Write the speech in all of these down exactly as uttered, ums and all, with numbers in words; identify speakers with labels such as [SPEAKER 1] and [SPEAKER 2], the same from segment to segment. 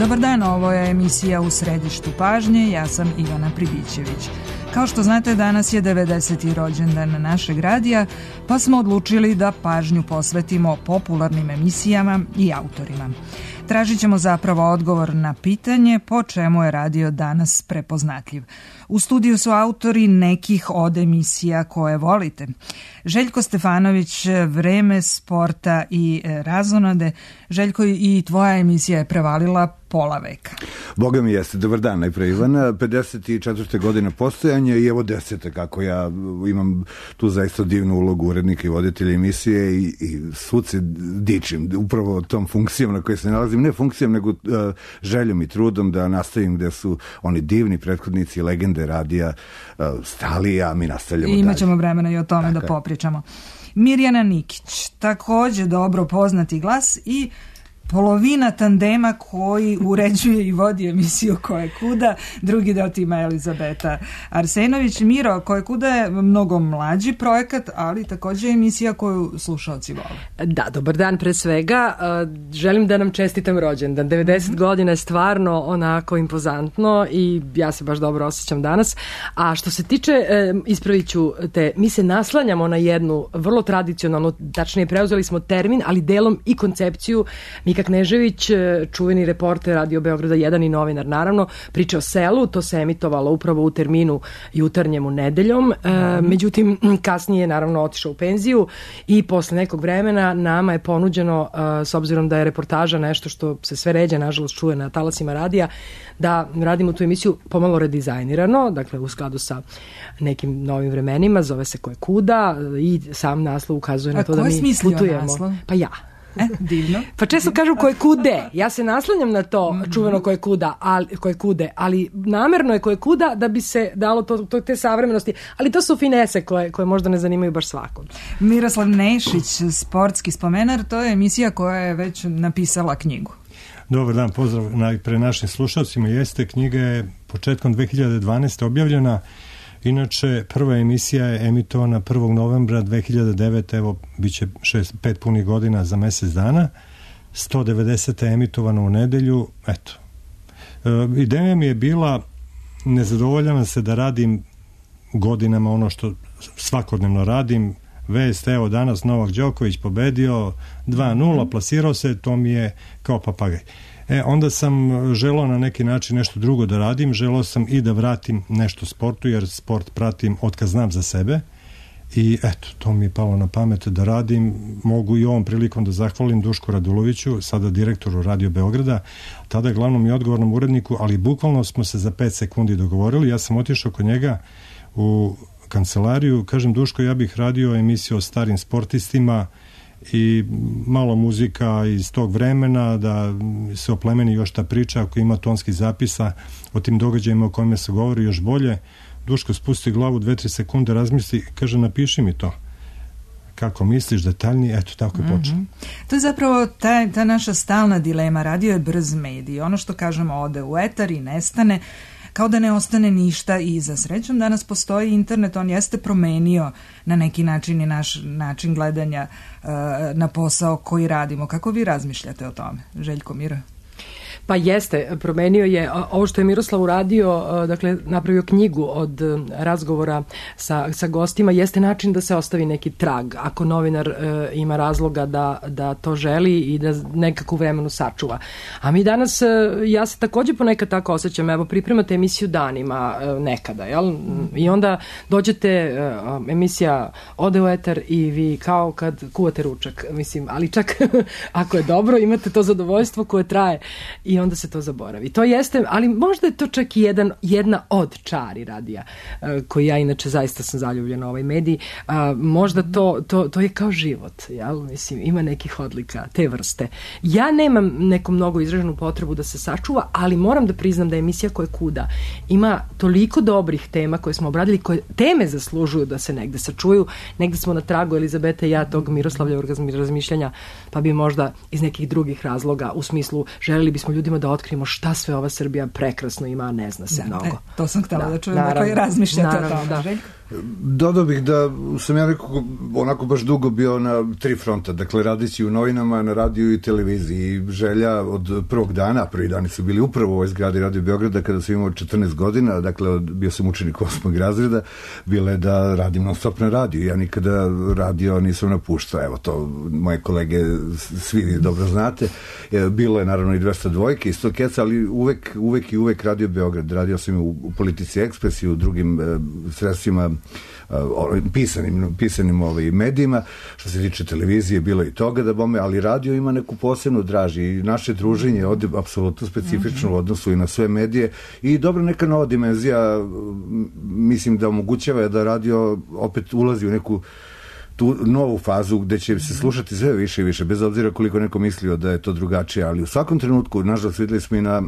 [SPEAKER 1] Dobar dan, ovo je emisija U središtu pažnje, ja sam Ivana Pribićević. Kao što znate, danas je devedeseti rođendan našeg radija, pa smo odlučili da pažnju posvetimo popularnim emisijama i autorima. Tražit ćemo zapravo odgovor na pitanje po čemu je radio danas prepoznatljiv. U studiju su autori nekih od emisija koje volite. Željko Stefanović, Vreme, Sporta i Razonode. Željko, i tvoja emisija je prevalila pola veka.
[SPEAKER 2] Boga mi jeste. Dobar dan, najpre Ivana. pedeset četvrte godine postojanja i evo desete kako ja imam tu zaista divnu ulogu urednika i voditelja emisije i, i svud se dičim upravo tom funkcijom na kojoj se nalazim. Ne funkcijom, nego uh, željom i trudom da nastavim gde su oni divni prethodnici, legende radija uh, stali, a mi nastavljamo dalje.
[SPEAKER 1] Imat ćemo vremena i o tome Tako da popričamo. Mirjana Nikić, takođe dobro poznati glas i polovina tandema koji uređuje i vodi emisiju Koje kuda, drugi deo tima Elizabeta Arsenović. Miro, Koje kuda je mnogo mlađi projekat, ali takođe emisija koju slušaoci vole.
[SPEAKER 3] Da, dobar dan pre svega. Želim da nam čestitam rođendan. devedeset mm-hmm. godina je stvarno onako impozantno i ja se baš dobro osjećam danas. A što se tiče, ispravit ću te, mi se naslanjamo na jednu vrlo tradicionalnu, tačnije preuzeli smo termin, ali delom i koncepciju. Mika Knežević, čuveni reporter Radio Beograda jedan i novinar, naravno, priča o selu, to se emitovalo upravo u terminu jutarnjemu nedeljom, e, međutim, kasnije je naravno otišao u penziju i posle nekog vremena nama je ponuđeno, e, s obzirom da je reportaža nešto što se sve ređe, nažalost, čuje na talasima radija, da radimo tu emisiju pomalo redizajnirano, dakle u skladu sa nekim novim vremenima, zove se Koje kuda i sam naslov ukazuje na
[SPEAKER 1] A
[SPEAKER 3] to da mi putujemo.
[SPEAKER 1] Naslov?
[SPEAKER 3] Pa ja.
[SPEAKER 1] E, divno.
[SPEAKER 3] Pa često kažu Koje kude. Ja se naslanjam na to čuveno Koje kuda, ali, koje kude, ali namerno je Koje kuda da bi se dalo to, to, te savremenosti. Ali to su finese koje, koje možda ne zanimaju baš svakog.
[SPEAKER 1] Miroslav Nešić, sportski spomenar, to je emisija koja je već napisala knjigu.
[SPEAKER 4] Dobar dan, pozdrav najpre našim slušalcima. Jeste, knjiga je početkom dve hiljade dvanaeste objavljena. Inače, prva emisija je emitovana prvog novembra dve hiljade devete. Evo, bit će šest, pet punih godina za mesec dana. sto devedesete je emitovano u nedelju. Eto. E, ideja mi je bila, nezadovoljam se da radim godinama ono što svakodnevno radim. Vest, evo danas Novak Đoković pobedio dva nula, plasirao se, to mi je kao papagaj. E, onda sam želao na neki način nešto drugo da radim, želao sam i da vratim nešto sportu, jer sport pratim od kad znam za sebe i eto, to mi je palo na pamet da radim. Mogu i ovom prilikom da zahvalim Dušku Raduloviću, sada direktoru Radio Beograda, tada glavnom i odgovornom uredniku, ali bukvalno smo se za pet sekundi dogovorili. Ja sam otišao kod njega u kancelariju, kažem, Duško, ja bih radio emisiju o starim sportistima i malo muzika iz tog vremena, da se oplemeni još ta priča, ako ima tonskih zapisa o tim događajima o kojima se govori, još bolje. Duško spusti glavu, dve, tri sekunde razmisli, kaže, napiši mi to. Kako misliš, detaljnije, eto, tako je počeo.
[SPEAKER 1] Mm-hmm. To je zapravo ta, ta naša stalna dilema. Radio je brz medij. Ono što kažemo ode u etar i nestane, kao da ne ostane ništa iza. Srećom, danas postoji internet, on jeste promenio na neki način i naš način gledanja uh, na posao koji radimo. Kako vi razmišljate o tome, Željko, Miro?
[SPEAKER 3] Pa jeste, promenio je ovo što je Miroslav uradio, dakle napravio knjigu od razgovora sa, sa gostima, jeste način da se ostavi neki trag, ako novinar e, ima razloga da, da to želi i da nekakvu vremenu sačuva. A mi danas, e, ja se takođe ponekad tako osjećam, evo pripremate emisiju danima e, nekada, jel? I onda dođete, e, emisija ode u etar i vi kao kad kuvate ručak, mislim, ali čak ako je dobro, imate to zadovoljstvo koje traje i onda se to zaboravi. To jeste, ali možda je to čak i jedan, jedna od čari radija, uh, koji ja inače zaista sam zaljubljena u ovaj medij. Uh, možda to, to, to je kao život, jel? Mislim, ima nekih odlika te vrste. Ja nemam neku mnogo izraženu potrebu da se sačuva, ali moram da priznam da emisija Koje kuda ima toliko dobrih tema koje smo obradili, koje teme zaslužuju da se negde sačuju. Negde smo na tragu, Elizabeta i ja, tog Miroslavljevog razmišljanja, pa bi možda iz nekih drugih razloga, u smislu želeli bismo ljudima da otkrijemo šta sve ova Srbija prekrasno ima, a ne zna se
[SPEAKER 1] da,
[SPEAKER 3] mnogo.
[SPEAKER 1] E, to sam htjela da, da čujem, da koji razmišljate o tome. Da. Željko?
[SPEAKER 2] Dodao bih da sam ja nekako onako baš dugo bio na tri fronta, dakle radeći u novinama, na radiju i televiziji. Želja od prvog dana, prvi dani su bili upravo u ovoj zgradi Radio Beograda kada sam imao četrnaest godina, dakle bio sam učenik osmog razreda, bilo je da radim non stop na radiju. Ja nikada radio nisam napuštao, evo to moje kolege svi dobro znate. Bilo je naravno i dvesta dvojke i sto keca, ali uvek, uvek i uvek Radio Beograd. Radio sam u, u Politici Ekspres i u drugim e, sredstvima pisanim, pisanim ovaj, medijima. Što se tiče televizije, bilo i toga da bome, ali radio ima neku posebnu draži i naše druženje je ovde apsolutno specifično u odnosu i na sve medije i dobro neka nova dimenzija, mislim da omogućava da radio opet ulazi u neku tu novu fazu gde će se slušati sve više i više, bez obzira koliko neko mislio da je to drugačije, ali u svakom trenutku, nažalost, videli smo i na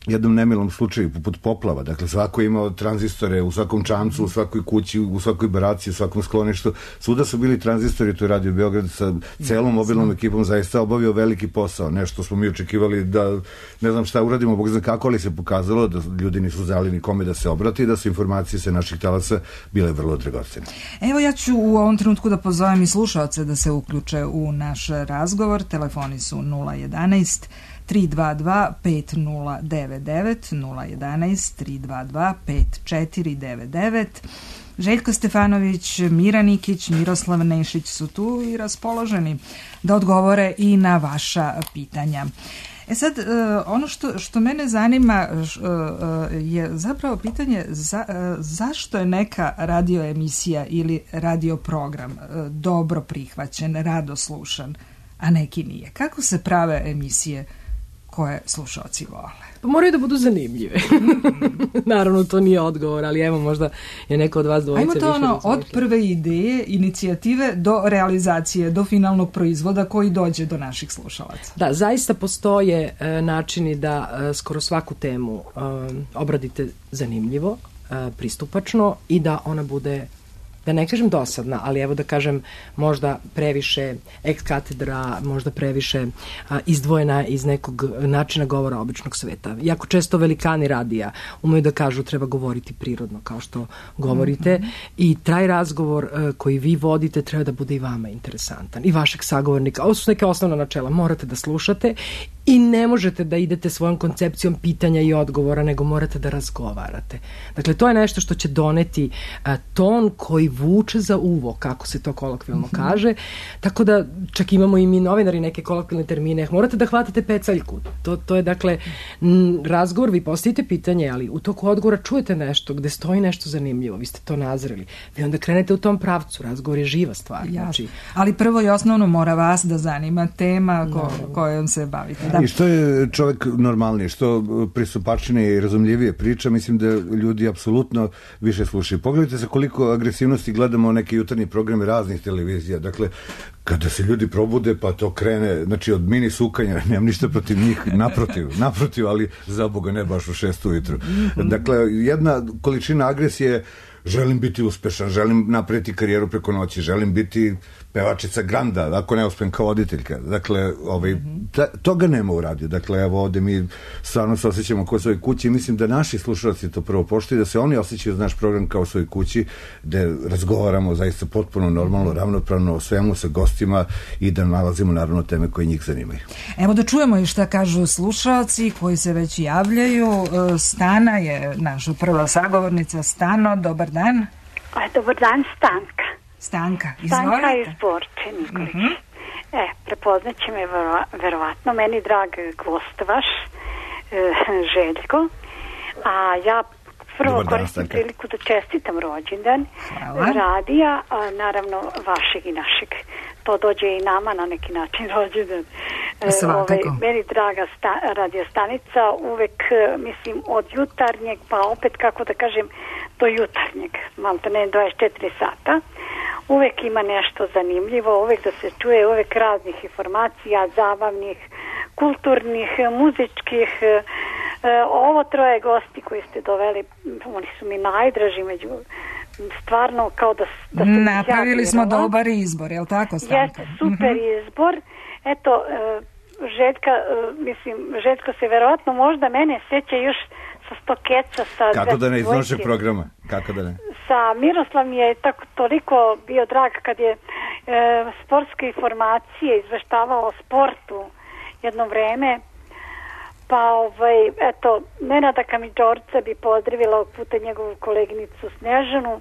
[SPEAKER 2] jednom nemilom slučaju, poput poplava. Dakle, svako je imao tranzistore u svakom čamcu, u svakoj kući, u svakoj baraciji, u svakom skloništu. Svuda su bili tranzistori, to je Radio Beograd sa celom mobilnom ekipom zaista obavio veliki posao. Nešto smo mi očekivali da, ne znam šta uradimo, bog zna kako, ali se pokazalo da ljudi nisu znali ni kome da se obrati i da su informacije sa naših talasa bile vrlo dragocene.
[SPEAKER 1] Evo ja ću u ovom trenutku da pozovem i slušaoce da se uključe u naš razgovor. Telefoni su nula jedanaest tri dva dva pet nula devet devet, nula jedanaest tri dva dva pet četiri devet devet. Željko Stefanović, Mira Nikić, Miroslav Nešić su tu i raspoloženi da odgovore i na vaša pitanja. E sad, ono što, što mene zanima je zapravo pitanje za, zašto je neka radioemisija ili radioprogram dobro prihvaćen, rado slušan, a neki nije. Kako se prave emisije koje slušaoci vole?
[SPEAKER 3] Pa moraju da budu zanimljive. Naravno, to nije odgovor, ali evo možda je neko od vas dvojice više.
[SPEAKER 1] Ajmo to ono, od prve ideje, inicijative do realizacije, do finalnog proizvoda koji dođe do naših slušalaca.
[SPEAKER 3] Da, zaista postoje e, načini da e, skoro svaku temu e, obradite zanimljivo, e, pristupačno i da ona bude, da ne kažem dosadna, ali evo da kažem možda previše ex katedra, možda previše a, izdvojena iz nekog načina govora običnog sveta. Jako često velikani radija umeju da kažu treba govoriti prirodno, kao što govorite, mm-hmm. i taj razgovor a, koji vi vodite treba da bude i vama interesantan, i vašeg sagovornika. Ovo su neke osnovna načela, morate da slušate i ne možete da idete svojom koncepcijom pitanja i odgovora, nego morate da razgovarate. Dakle, to je nešto što će doneti a, ton koji vuče za uvo, kako se to kolokvijalno mm-hmm. kaže. Tako da čak imamo i mi novinari neke kolokvijalne termine. Morate da hvatate pecaljku. To, to je dakle m, razgovor, vi postavite pitanje, ali u toku odgovora čujete nešto gde stoji nešto zanimljivo. Vi ste to nazreli. Vi onda krenete u tom pravcu. Razgovor je živa stvar. Znači,
[SPEAKER 1] ali prvo i osnovno mora vas da zanima tema ko, kojom se bavite. Da.
[SPEAKER 2] I što je čovjek normalniji, što pristupačnije i razumljivije priča, mislim da ljudi apsolutno više slušaju. Pogledajte se koliko agresivnosti gledamo neke jutarnje programe raznih televizija. Dakle, kada se ljudi probude, pa to krene, znači od mini sukanja, nemam ništa protiv njih, naprotiv, naprotiv, ali za Boga ne baš u šest ujutru. Dakle, jedna količina agresije, želim biti uspešan, želim napraviti karijeru preko noći, želim biti pevačica Granda, ako ne uspem kao voditeljka. Dakle, ovaj, ta, toga nema u radiju. Dakle, evo ovde mi stvarno se osjećamo kao svoj kući i mislim da naši slušalci to prvo poštuju, da se oni osjećaju naš program kao svoj kući, gde razgovaramo zaista potpuno normalno, ravnopravno o svemu sa gostima i da nalazimo naravno teme koje njih zanimaju.
[SPEAKER 1] Evo da čujemo i šta kažu slušalci koji se već javljaju. Stana je naša prva sagovornica. Stano, dobar dan.
[SPEAKER 5] Dobar dan, Stanka.
[SPEAKER 1] Stanka, izvolite.
[SPEAKER 5] Stanka iz Borče, Nikolić. Mm-hmm. E, prepoznaće me vero, verovatno, meni drag gost vaš, e, Željko, a ja prvo dan, koristim Stanka. Priliku da čestitam rođendan radija, a, naravno vašeg i našeg. To dođe i nama na neki način rođendan. E, ove, meni draga sta, radiostanica, uvek, mislim, od jutarnjeg, pa opet, kako da kažem, do jutarnjeg, malo to ne dvadeset četiri sata. Uvek ima nešto zanimljivo, uvek da se čuje, uvek raznih informacija, zabavnih, kulturnih, muzičkih. E, ovo troje gosti koji ste doveli, oni su mi najdraži među, stvarno kao da, da ste
[SPEAKER 1] napravili smo dobar izbor, je li tako, Stanka?
[SPEAKER 5] Jeste, super mm-hmm. izbor. Eto, e, Željka, e, mislim, Željko se verovatno možda mene sjeća još sa sto keca. Sa
[SPEAKER 2] kako da ne iz vašeg programa? Kako da ne?
[SPEAKER 5] Sa Miroslav mi je tako toliko bio drag kad je e, sportske informacije izveštavao o sportu jedno vreme. Pa ovaj, eto, Nenada Kamidžorca bi pozdravila ovog puta njegovu koleginicu Snežanu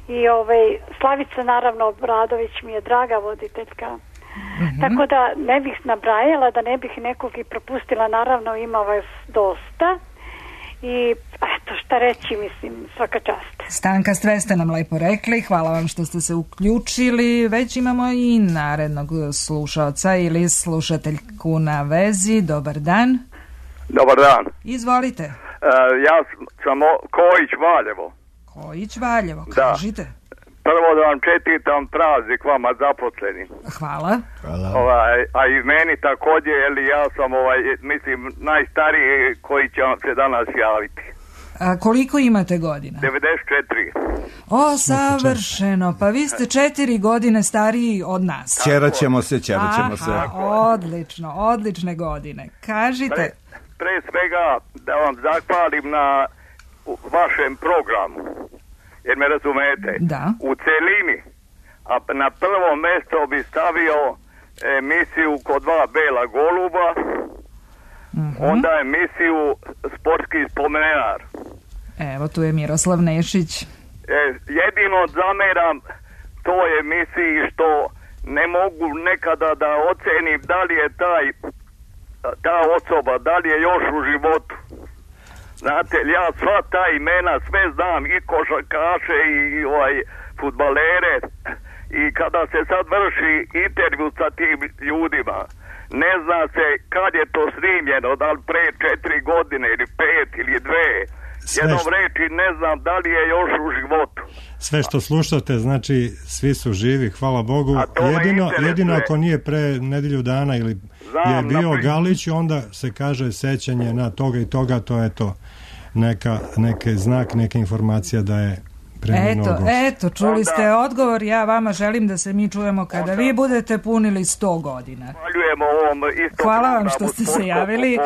[SPEAKER 5] i ovaj, Slavica naravno Obradović mi je draga voditeljka. Mm-hmm. Tako da ne bih nabrajala, da ne bih nekog i propustila, naravno ima vas dosta i eto šta reći, mislim, svaka čast.
[SPEAKER 1] Stanka, sve ste nam lepo rekli, hvala vam što ste se uključili, već imamo i narednog slušaoca ili slušateljku na vezi, dobar dan.
[SPEAKER 6] Dobar dan.
[SPEAKER 1] Izvolite.
[SPEAKER 6] Uh, ja sam Kojić Valjevo.
[SPEAKER 1] Kojić Valjevo, kažite.
[SPEAKER 6] Da. Prvo da vam čestitam praznik vama zaposlenim.
[SPEAKER 1] Hvala.
[SPEAKER 2] Hvala.
[SPEAKER 6] Ovaj, a i meni također, jer ja sam, ovaj, mislim, najstariji koji će vam se danas javiti.
[SPEAKER 1] A koliko imate godina?
[SPEAKER 6] devedeset četiri.
[SPEAKER 1] O, savršeno, pa vi ste četiri godine stariji od nas.
[SPEAKER 2] Ćeraćemo se, ćeraćemo se.
[SPEAKER 1] Odlično, odlične godine. Kažite.
[SPEAKER 6] Pre, pre svega da vam zahvalim na vašem programu. Jer me razumete,
[SPEAKER 1] da.
[SPEAKER 6] U celini, a na prvo mjesto bi stavio emisiju Kod dva bela goluba, mm-hmm. onda emisiju Sportski spomenar.
[SPEAKER 1] Evo, tu je Miroslav Nešić.
[SPEAKER 6] E, jedino zameram toj emisiji što ne mogu nekada da ocenim da li je taj, ta osoba, da li je još u životu. Znate, ja sva ta imena sve znam, i košarkaše i ovaj fudbalere, i kada se sad vrši intervju sa tim ljudima, ne zna se kad je to snimljeno, da li pre četiri godine ili pet ili dve. Jednom reči ne znam da li je još u životu.
[SPEAKER 4] Sve što slušate, znači svi su živi, hvala Bogu. Jedino, jedino ako nije pre nedelju dana ili znam, je bio napri... Galić, onda se kaže sećanje na toga i toga, to je to. Neka, neke znak, neka informacija da je preminuo
[SPEAKER 1] gost. Eto, čuli ste odgovor, ja vama želim da se mi čujemo kada vi budete punili sto godina.
[SPEAKER 6] Hvala
[SPEAKER 1] vam što ste se javili.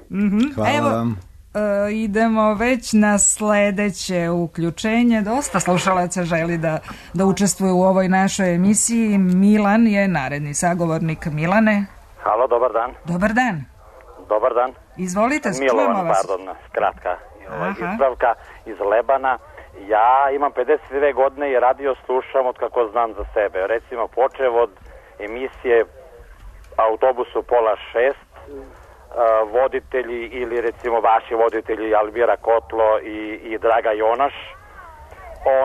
[SPEAKER 2] Mm-hmm. Hvala
[SPEAKER 1] Evo,
[SPEAKER 2] vam.
[SPEAKER 1] Uh, idemo već na sledeće uključenje. Dosta slušalaca želi da, da učestvuje u ovoj našoj emisiji. Milan je naredni sagovornik. Milane.
[SPEAKER 7] Halo, dobar dan.
[SPEAKER 1] Dobar dan.
[SPEAKER 7] Dobar dan.
[SPEAKER 1] Izvolite,
[SPEAKER 7] Milovan,
[SPEAKER 1] vas.
[SPEAKER 7] pardon, kratka ispravka iz Lebana. Ja imam pedeset dve godine i radio slušam od kako znam za sebe. Recimo, počev od emisije Autobusu pola šest, voditelji ili recimo vaši voditelji Alvira Kotlo i, i Draga Jonaš,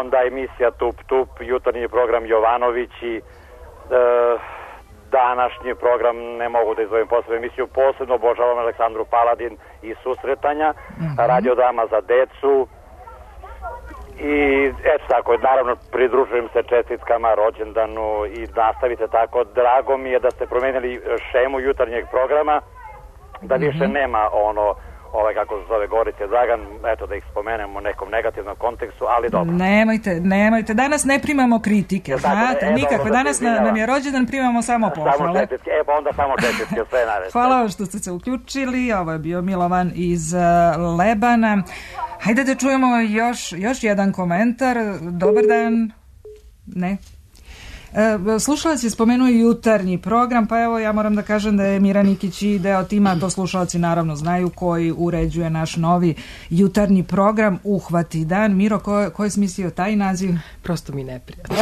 [SPEAKER 7] onda emisija Tup Tup, jutarnji program Jovanovići, e, današnji program, ne mogu da izvojim posebnu emisiju, posebno obožavam Aleksandru Paladin i Susretanja, mm-hmm. Radio Dama za decu i eto tako, naravno pridružujem se čestitkama, rođendanu i nastavite tako. Drago mi je da ste promenili šemu jutarnjeg programa, da više mm-hmm. nema ono, ovaj kako se zove Gorice Dragan, eto da ih spomenemo u nekom negativnom kontekstu, ali dobro.
[SPEAKER 1] Nemojte, nemojte, danas ne primamo kritike, ja, znate, e, nikakve, danas na, nam je rođendan, primamo samo pohvale.
[SPEAKER 7] Samo čestitke, e pa onda samo čestitke, sve naredne.
[SPEAKER 1] Hvala vam što ste se uključili, ovo je bio Milovan iz uh, Lebana. Hajde da čujemo još, još jedan komentar. Dobar dan. Ne. Slušalac je spomenuo jutarnji program, pa evo ja moram da kažem da je Mira Nikić i deo tima, to slušalci naravno znaju, koji uređuje naš novi jutarnji program Uhvati dan. Miro, ko, ko je smislio taj naziv?
[SPEAKER 3] Prosto mi neprijatno.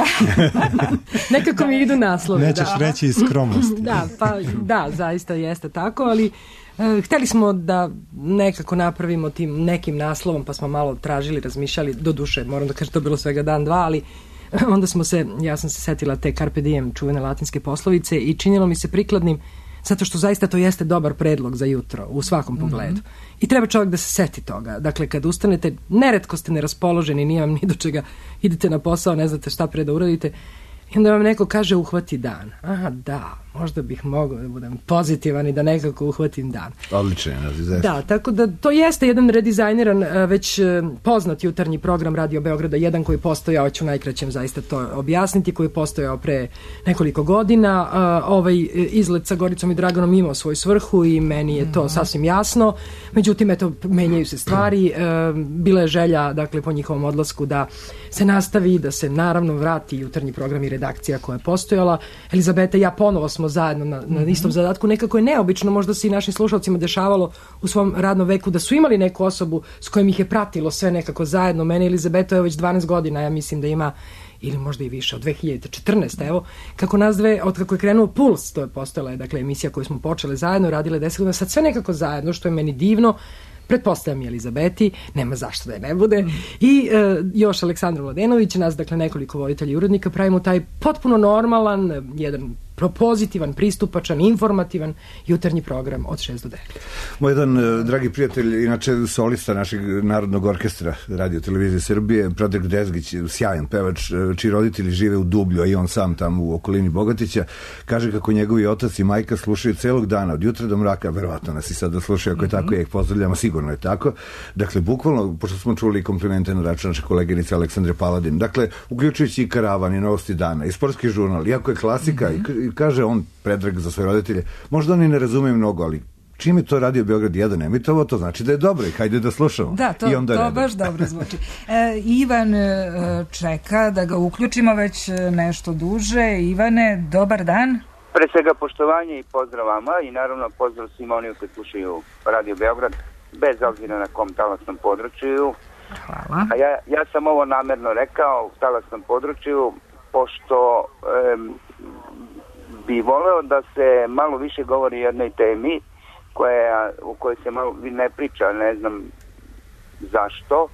[SPEAKER 3] Nekako mi idu naslovi.
[SPEAKER 4] Nećeš
[SPEAKER 3] da.
[SPEAKER 4] reći iz skromnosti.
[SPEAKER 3] Da, pa da, zaista jeste tako, ali uh, hteli smo da nekako napravimo tim nekim naslovom, pa smo malo tražili, razmišljali, do duše, moram da kažem, to je bilo svega dan, dva, ali onda smo se, ja sam se setila te Carpe Diem, čuvene latinske poslovice, i činilo mi se prikladnim, zato što zaista to jeste dobar predlog za jutro, u svakom mm-hmm. pogledu. I treba čovjek da se seti toga. Dakle, kad ustanete, neretko ste neraspoloženi, nije vam ni do čega, idete na posao, ne znate šta pre da uradite, I onda vam neko kaže uhvati dan. Aha, da, možda bih mogao da budem pozitivan i da nekako uhvatim dan.
[SPEAKER 2] Odlično je naziv.
[SPEAKER 3] Da, tako da to jeste jedan redizajniran, već poznat jutarnji program Radio Beograda, jedan koji postojao, ću najkraćem zaista to objasniti, koji je postojao pre nekoliko godina. Ovaj izlet sa Goricom i Draganom imao svoju svrhu i meni je to sasvim jasno. Međutim, eto, menjaju se stvari. Bila je želja, dakle, po njihovom odlasku da se nastavi, da se naravno vrati jutarnji program i redakcija koja je postojala. Elizabeta i ja ponovo smo zajedno na, na istom zadatku. Nekako je neobično, možda se i našim slušalcima dešavalo u svom radnom veku da su imali neku osobu s kojim ih je pratilo sve nekako zajedno. Mene Elizabeta je već dvanaest godina, ja mislim da ima, ili možda i više, od dve hiljade četrnaeste. Evo, kako nas dve, od kako je krenuo Puls, to je postojala, dakle, emisija koju smo počele zajedno, radile deset godina, sad sve nekako zajedno, što je meni divno. Pretpostavljam i Elizabeti, nema zašto da je ne bude. I e, još Aleksandru Mladenović, nas dakle nekoliko voditelja i urednika, pravimo taj potpuno normalan, jedan propozitivan, pristupačan, informativan jutarnji program od šest do devet.
[SPEAKER 2] Moj jedan uh, dragi prijatelj, inače solista našeg Narodnog orkestra Radio Televizije Srbije, Predrag Dezgić, sjajan pevač, čiji roditelji žive u Dublju, a i on sam tamo u okolini Bogatića, kaže kako njegovi otac i majka slušaju celog dana, od jutra do mraka, verovatno nas i sad da slušaju, ako je tako, ja ih pozdravljamo, sigurno je tako. Dakle, bukvalno, pošto smo čuli komplimente na račun naše koleginice Aleksandre Paladin, dakle, uključujući i Karavan i Novosti dana i Sportski žurnal, iako je klasika, mm-hmm. i kaže on, Predrag, za svoje roditelje, možda oni ne razumeju mnogo, ali čim je to Radio Beograd jedan emitovao, to znači da je dobro i hajde da slušamo.
[SPEAKER 1] Da, to, I onda to baš dobro zvuči. E, Ivan e, čeka da ga uključimo već nešto duže. Ivane, dobar dan.
[SPEAKER 8] Pre svega poštovanje i pozdrav vama i naravno pozdrav svima onim koji slušaju Radio Beograd, bez obzira na kom talasnom području.
[SPEAKER 1] Hvala.
[SPEAKER 8] A ja, ja sam ovo namerno rekao u talasnom području, pošto em, bi voleo da se malo više govori o jednoj temi koja, u kojoj se malo ne priča, ne znam zašto,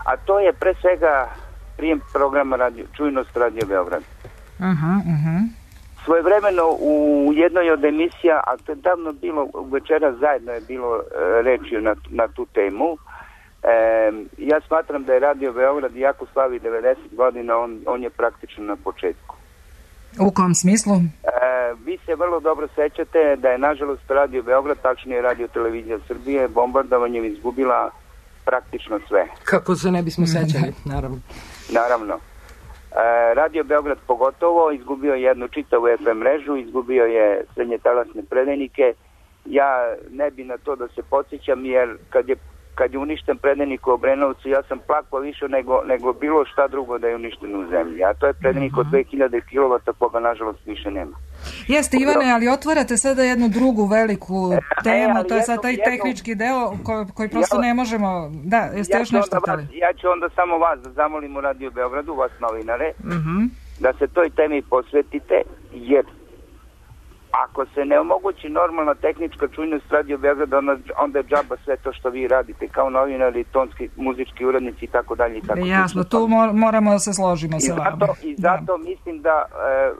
[SPEAKER 8] a to je pre svega prijem programa radio, Čujnost Radio Beograd.
[SPEAKER 1] Aha, aha.
[SPEAKER 8] Svojevremeno u jednoj od emisija, a to je davno bilo, večera zajedno je bilo e, reči na, na tu temu. E, ja smatram da je Radio Beograd, iako slavi devedeset godina, on, on je praktično na početku.
[SPEAKER 1] U kom smislu?
[SPEAKER 8] E, vi se vrlo dobro sećate da je nažalost Radio Beograd, tačnije Radio Televizija Srbije, bombardovanjem izgubila praktično sve.
[SPEAKER 3] Kako se ne bismo sećali, naravno.
[SPEAKER 8] Naravno. E, Radio Beograd pogotovo izgubio jednu čitavu F M mrežu, izgubio je srednjetalasne predajnike. Ja ne bi na to da se podsjećam, jer kad je kad je uništen predajnik u Obrenovcu, ja sam plakao više nego, nego bilo šta drugo da je uništen u zemlji. A to je predajnik od dve hiljade kilovata, koga nažalost više nema.
[SPEAKER 1] Jeste, Ivane, ali otvarate sada jednu drugu veliku temu, e, to je sad taj jedno, tehnički deo koji, koji prosto ja, ne možemo... Da, jeste ja još nešto tali?
[SPEAKER 8] Ja ću onda samo vas da zamolim u Radio Beogradu, vas novinare,
[SPEAKER 1] uh-huh.
[SPEAKER 8] da se toj temi posvetite, jer ako se ne omogući normalna tehnička čujnost Radio Beograda, onda je džaba sve to što vi radite kao novinari, tonski, muzički urednici i tako dalje.
[SPEAKER 1] Jasno, tu moramo da se složimo sa vama.
[SPEAKER 8] I zato da. mislim da e,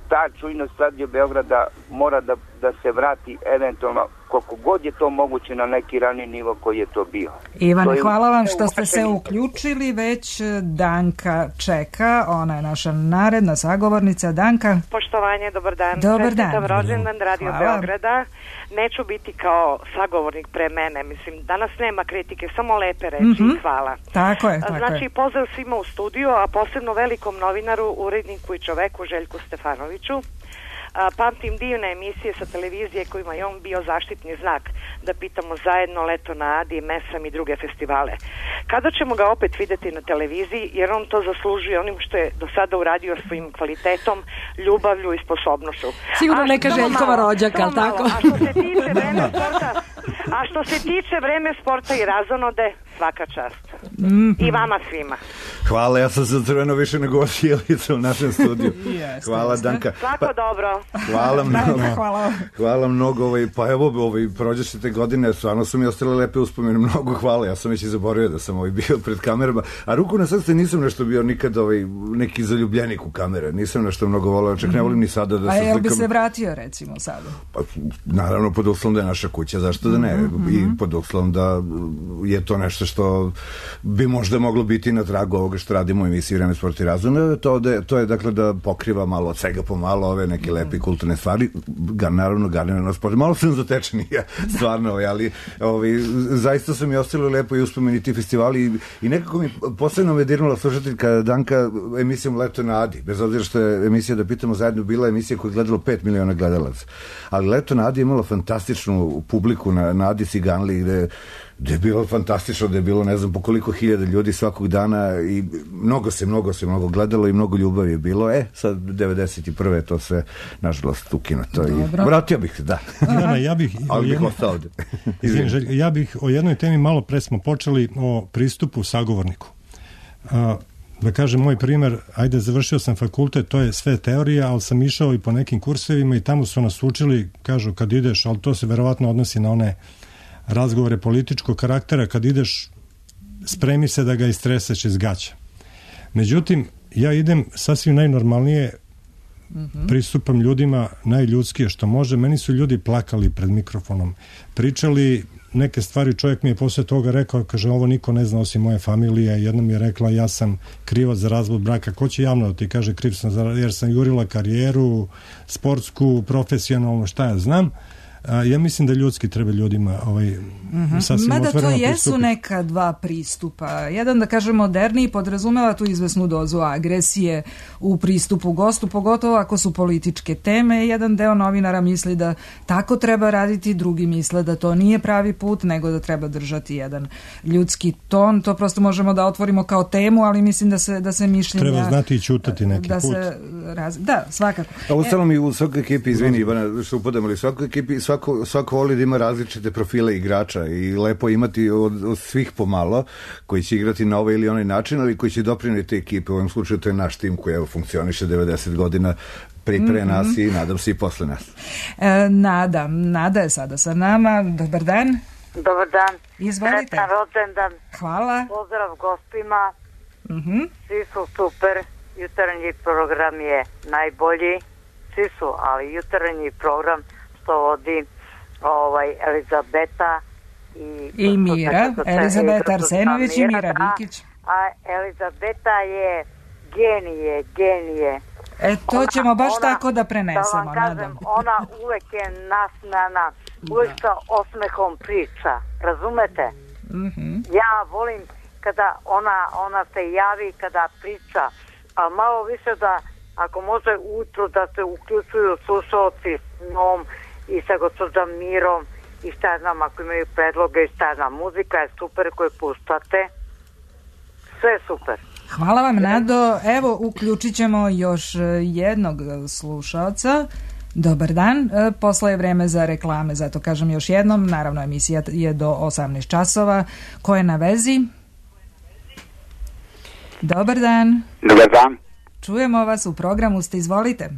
[SPEAKER 8] ta čujnost Radio Beograda mora da, da se vrati eventualno koliko god je to moguće na neki rani nivo koji je to bio.
[SPEAKER 1] Ivane, to hvala vam što ste se uključili, već Danka čeka, ona je naša naredna sagovornica. Danka.
[SPEAKER 9] Poštovanje, dobar dan.
[SPEAKER 1] Dobar dan.
[SPEAKER 9] Čestitam rođendan Radio hvala. Beograda. Neću biti kao sagovornik pre mene, mislim, danas nema kritike, samo lepe reči, mm-hmm. hvala.
[SPEAKER 1] Tako je, tako
[SPEAKER 9] znači,
[SPEAKER 1] je.
[SPEAKER 9] pozdrav svima u studiju, a posebno velikom novinaru, uredniku i čoveku Željku Stefanoviću. A, pamtim divne emisije sa televizije kojima je on bio zaštitni znak, da pitamo zajedno Leto na Adi, Mesam i druge festivale. Kada ćemo ga opet videti na televiziji, jer on to zaslužuje onim što je do sada uradio svojim kvalitetom, ljubavlju i sposobnošću.
[SPEAKER 3] Sigurno neka Željkova rođaka, ali tako?
[SPEAKER 9] A što se tiče vreme sporta, a što se tiče vreme sporta i razonode, svaka čast. Mm-hmm. I vama svima.
[SPEAKER 2] Hvala, ja sam se crveno više nego osjelica u našem studiju.
[SPEAKER 1] Yes,
[SPEAKER 2] hvala,
[SPEAKER 1] yes,
[SPEAKER 2] Danka.
[SPEAKER 9] Svako pa, dobro.
[SPEAKER 2] Hvala mnogo.
[SPEAKER 1] hvala.
[SPEAKER 2] Hvala mnogo. Ovaj, pa evo, ovaj, prođešte te godine, stvarno su mi ostale lepe uspomene. Mnogo hvala. Ja sam već i zaboravio da sam ovaj bio pred kamerama. A ruku na srce nisam nešto bio nikad ovaj, neki zaljubljenik u kamere. Nisam nešto mnogo volao. Čak ne volim ni sada da se slikam.
[SPEAKER 1] A jel bi se vratio, recimo, sada?
[SPEAKER 2] Pa, naravno, pod uslovom da je naša kuća. Zašto da ne? Mm-hmm. I pod uslovom da je to nešto što bi možda moglo biti na tragu ovoga što radimo u emisiji Vreme, sport i razum. To, da, to je dakle da pokriva malo od svega po malo ove neke lepe kulturne stvari, ga, naravno garnirano sport. Malo sam zatečen ja, stvarno, ali ovi, zaista su mi ostali lepo i uspomeni ti festivali i, i nekako mi posebno me dirnula slušateljka Danka emisijom Leto na Adi, bez obzira što je emisija Da pitamo zajedno bila emisija koja je gledalo pet miliona gledalaca. Ali Leto na Adi je imalo fantastičnu publiku na, na Adi Ciganli gde da je bilo fantastično, da je bilo ne znam po koliko hiljada ljudi svakog dana i mnogo se, mnogo se, mnogo gledalo i mnogo ljubavi je bilo. E, sad devedeset prve je to sve nažalost ukinuto i vratio bih se, da.
[SPEAKER 4] Ivana, ja bih...
[SPEAKER 2] Ali bih
[SPEAKER 4] jedno...
[SPEAKER 2] ostao ovde.
[SPEAKER 4] Izvim, ja bih o jednoj temi malo pre smo počeli o pristupu sagovorniku. A, da kažem, moj primer, ajde, završio sam fakultet, to je sve teorija, ali sam išao i po nekim kursevima i tamo su nas učili, kažu kad ideš, ali to se verovatno odnosi na one razgovore političkog karaktera, kad ideš spremi se da ga istreseš iz gaća. Međutim, ja idem sasvim najnormalnije, mm-hmm. pristupam ljudima najljudskije što može. Meni su ljudi plakali pred mikrofonom, pričali neke stvari, čovjek mi je posle toga rekao, kaže, ovo niko ne zna osim moje familije. Jedna mi je rekla, ja sam krivac za razvod braka. Ko će javno da ti kaže kriv sam za, jer sam jurila karijeru, sportsku, profesionalnu, šta ja znam. A, ja mislim da ljudski treba ljudima ovaj, mm-hmm. sasvim
[SPEAKER 1] Mada
[SPEAKER 4] otvoreno
[SPEAKER 1] to jesu
[SPEAKER 4] pristupiti.
[SPEAKER 1] neka dva pristupa. Jedan, da kažem, moderniji podrazumeva tu izvesnu dozu agresije u pristupu gostu, pogotovo ako su političke teme. Jedan deo novinara misli da tako treba raditi, drugi misle da to nije pravi put, nego da treba držati jedan ljudski ton. To prosto možemo da otvorimo kao temu, ali mislim da se, da se mišljenja...
[SPEAKER 4] Treba znati i ćutati neki
[SPEAKER 1] da
[SPEAKER 4] put.
[SPEAKER 1] Se raz... Da, svakako.
[SPEAKER 2] A uostalom i u svakoj ekipi, izvini Ivana, što upadamo, ali u svakoj ekipi svako, svako voli da ima različite profile igrača i lepo imati od, od svih pomalo koji će igrati na ovaj ili onaj način, ali koji će dopriniti ekipe. U ovom slučaju to je naš tim koji evo, funkcioniše devedeset godina pri pre nas mm-hmm. i nadam se i posle nas.
[SPEAKER 1] E, Nada, Nada je sada sa nama. Dobar dan.
[SPEAKER 10] Dobar dan.
[SPEAKER 1] Izvolite.
[SPEAKER 10] Sretan rođendan.
[SPEAKER 1] Hvala.
[SPEAKER 10] Pozdrav gostima.
[SPEAKER 1] Mm-hmm.
[SPEAKER 10] Svi su super. Jutarnji program je najbolji. Svi su, ali jutarnji program što vodi ovaj, Elizabeta i,
[SPEAKER 1] I Mira. Elizabeta Arsenović i Mira Vikić.
[SPEAKER 10] A Elizabeta je genije, genije.
[SPEAKER 1] E, to ona, ćemo baš
[SPEAKER 10] ona,
[SPEAKER 1] tako da prenesemo.
[SPEAKER 10] Da vam kažem, ona uvek je nasmejana, uvek sa osmehom priča. Razumete?
[SPEAKER 1] Mm-hmm.
[SPEAKER 10] Ja volim kada ona, ona se javi, kada priča, a malo više da, ako može ujutru da se uključuju slušalci s njom i sa gospođom Mirom i šta znam, ako imaju predloge i šta znam, muzika je super koju puštate. Sve je super.
[SPEAKER 1] Hvala vam, Nado. Evo, uključit ćemo još jednog slušalca. Dobar dan. Posle je vreme za reklame, zato kažem još jednom. Naravno, emisija je do osamnaest časova. Ko je na vezi? Dobar dan.
[SPEAKER 11] Dobar dan.
[SPEAKER 1] Čujemo vas, u programu ste, izvolite.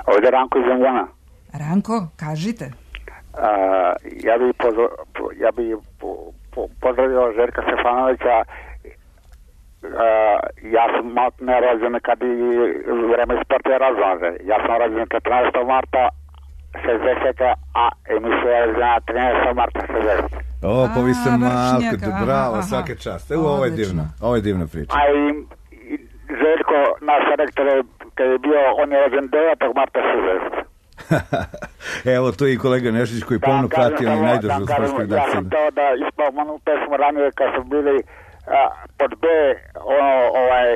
[SPEAKER 11] Ovdje je Ranko iz Zengana.
[SPEAKER 1] Ranko, kažite.
[SPEAKER 11] Uh, ja bih pozv... ja bi po, po, pozdravio Željka Stefanovića. Uh, ja sam malo ne rođen kad i vreme sporta je razlaže. Ja sam rođen četrnaestog marta šezdesetog a emisija je rođena trinaestog marta šezdesetog
[SPEAKER 2] O, pa vi ste malko, bravo, aha, svake čast. Evo, ovo je divna, ovo je divna priča.
[SPEAKER 11] A i, i Željko, naš rektor, kad je bio, on je rođen devetog marta šezdesetog
[SPEAKER 2] Evo, to je i kolega Nešić koji pomno prati onaj najdužu sportskog
[SPEAKER 11] redakcija. Ja sam teo da ispomenu pesmu ranije kad su bili a, pod B, ono, ovaj,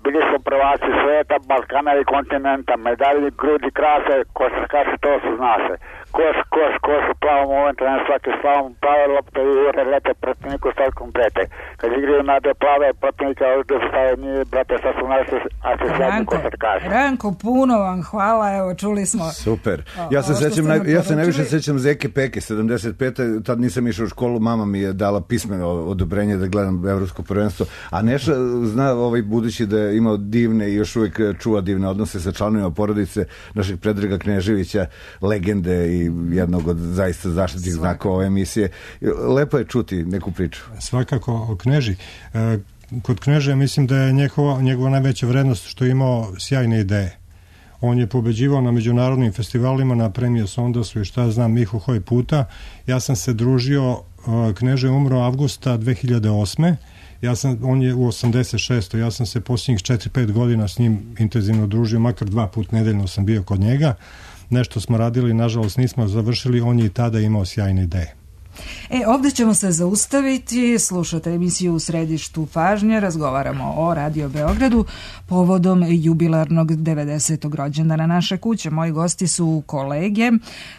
[SPEAKER 11] bili su prvaci sveta, Balkana i kontinenta, medalji, grudi, krase, košarkaši, to su zna se. Koš, koš, koš, u plavom momentu, na svaki slavom, plave lopte i ure lete protivniku stavkom prete. Kad igraju na de plave protivnika, ovdje su stavili nije, brate, sad su naši, a se sledni košarkaši.
[SPEAKER 1] Ranko, puno vam hvala, evo, čuli smo.
[SPEAKER 2] Super. Ja se, sećam, naj, ja se najviše sećam Zeke Peke, sedamdeset pete tad nisam išao u školu, mama mi je dala pismeno odobrenje da gledam evropsko prvenstvo, a Neša zna ovaj budući da je imao divne i još uvijek čuva divne odnose sa članovima porodice našeg Predraga Kneževića, legende i jednog od zaista zaštitnih znakova ove emisije. Lepo je čuti neku priču.
[SPEAKER 4] Svakako o Kneži. Kod Kneže mislim da je njegova, njegova najveća vrednost što je imao sjajne ideje. On je pobeđivao na međunarodnim festivalima, na premije Sondasu i šta znam, Mihu Hoj puta. Ja sam se družio Kneže je umro avgusta dve hiljade osme. Ja sam, on je u osamdeset šestoj. Ja sam se posljednjih četiri pet godina s njim intenzivno družio, makar dva put nedeljno sam bio kod njega. Nešto smo radili, nažalost nismo završili, on je i tada imao sjajne ideje.
[SPEAKER 1] E, ovdje ćemo se zaustaviti, slušate emisiju U središtu pažnje, razgovaramo o Radio Beogradu povodom jubilarnog devedesetog rođendana naše kuće. Moji gosti su kolege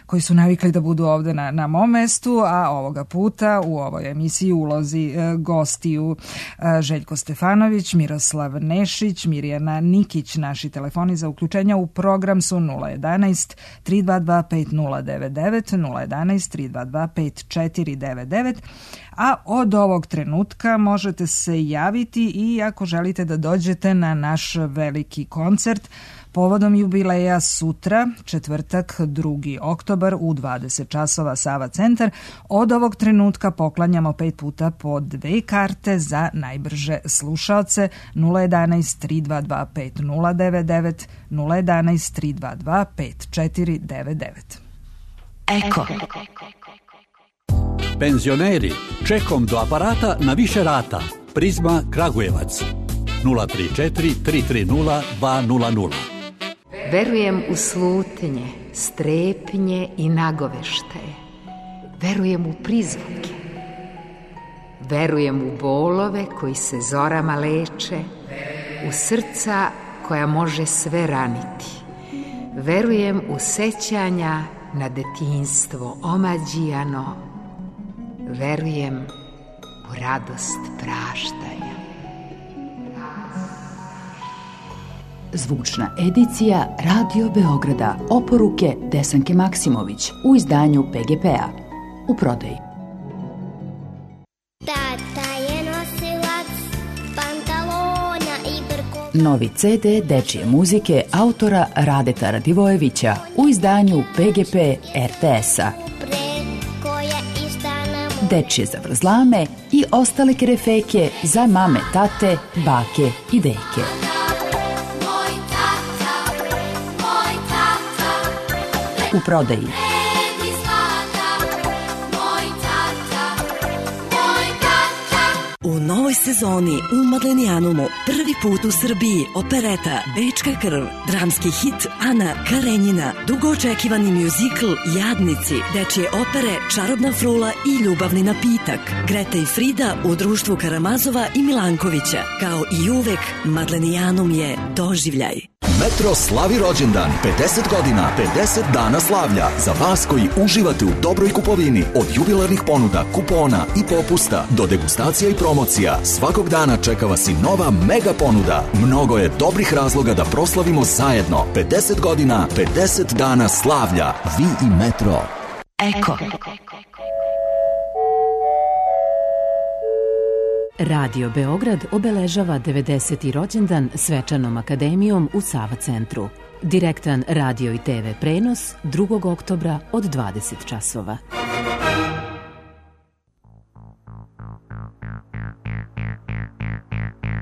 [SPEAKER 1] koji su navikli da budu ovdje na, na mom mestu, a ovoga puta u ovoj emisiji ulozi e, gostiju e, Željko Stefanović, Miroslav Nešić, Mirjana Nikić. Naši telefoni za uključenja u program su nula jedanaest tri dva dva pet nula devet devet, nula jedanaest tri dva dva pet četiri devet devet, a od ovog trenutka možete se javiti i ako želite da dođete na naš veliki koncert povodom jubileja sutra, četvrtak drugi oktobar u dvadeset časova Sava centar. Od ovog trenutka poklanjamo pet puta po dve karte za najbrže slušaoce nula jedanaest tri dva dva pet nula devet devet, nula jedanaest tri dva dva pet četiri devet devet.
[SPEAKER 12] Eko. Penzioneri, čekom do aparata na više rata. Prizma Kragujevac nula tri četiri tri tri nula dva nula nula.
[SPEAKER 13] Verujem u slutnje, strepnje i nagoveštaje. Verujem u prizvuke. Verujem u bolove koji se zorama leče, u srca koja može sve raniti. Verujem u sećanja na detinjstvo omađijano. Verujem u radost praštanja.
[SPEAKER 14] Zvučna edicija Radio Beograda. Oporuke Desanke Maksimović u izdanju P G P-a. U prodaji.
[SPEAKER 15] Tata je nosilac pantalona i brko.
[SPEAKER 14] Novi ce de dečije muzike autora Radeta Radivojevića u izdanju P G P R T S-a. Dečije zavrzlame i ostale kerefeke za mame, tate, bake i deke. U prodaji.
[SPEAKER 16] U novoj sezoni u Madlenijanumu prvi put u Srbiji opereta Bečka krv, dramski hit Ana Karenjina, dugo očekivani mjuzikl Jadnici, dečje opere Čarobna frula i Ljubavni napitak, Greta i Frida u društvu Karamazova i Milankovića. Kao i uvek, Madlenijanum je doživljaj.
[SPEAKER 17] Metro slavi rođendan, pedeset godina, pedeset dana slavlja. Za vas koji uživate u dobroj kupovini, od jubilarnih ponuda, kupona i popusta do degustacija i promocija, svakog dana čeka vas i nova mega ponuda. Mnogo je dobrih razloga da proslavimo zajedno. pedeset godina, pedeset dana slavlja. Vi i Metro.
[SPEAKER 14] Eko. Radio Beograd obeležava devedeseti rođendan svečanom akademijom u Sava centru. Direktan radio i te ve prenos drugog oktobra od dvadeset časova.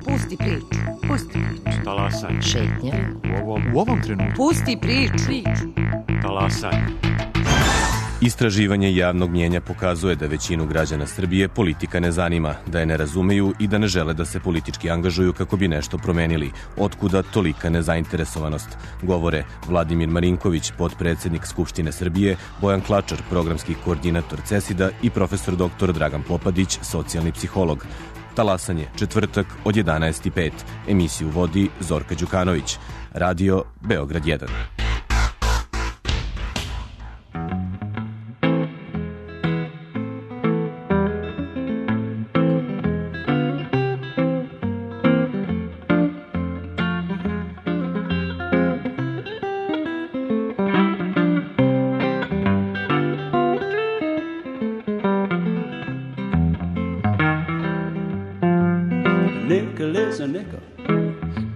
[SPEAKER 18] Pusti priču, pusti priču.
[SPEAKER 19] Talasanje.
[SPEAKER 18] Šetnja.
[SPEAKER 19] U ovom, u ovom trenutku.
[SPEAKER 18] Pusti priču.
[SPEAKER 19] Talasanje.
[SPEAKER 20] Istraživanje javnog mnjenja pokazuje da većinu građana Srbije politika ne zanima, da je ne razumeju i da ne žele da se politički angažuju kako bi nešto promenili. Otkuda tolika nezainteresovanost? Govore Vladimir Marinković, potpredsednik Skupštine Srbije, Bojan Klačar, programski koordinator CESID-a i profesor doktor Dragan Popadić, socijalni psiholog. Talasanje, četvrtak od jedanaest i pet. Emisiju vodi Zorka Đukanović. Radio Beograd jedan.
[SPEAKER 21] Nickel is a nickel,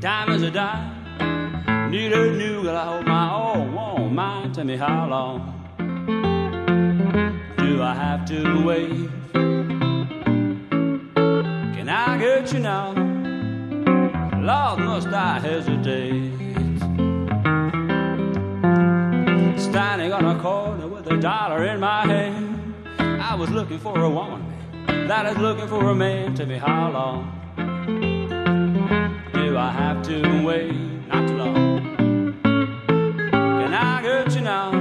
[SPEAKER 21] dime is a dime. Need a new girl, I hope my old won't mind. Tell me how long do I have to wait? Can I get you now? Lord, must I hesitate? Standing on a corner with a dollar in my hand, I was looking for a woman, man, that is looking for a man. Tell me how long do I have to wait? Not too long. Can I get you now?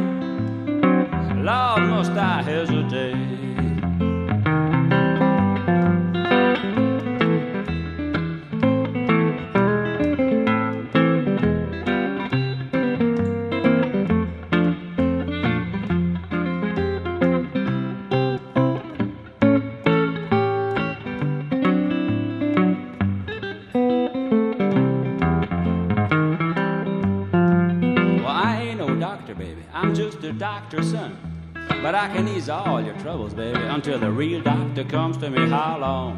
[SPEAKER 21] Lord, must I hesitate? Doctor's son, but I can ease all your troubles, baby, until the real doctor comes to me. How long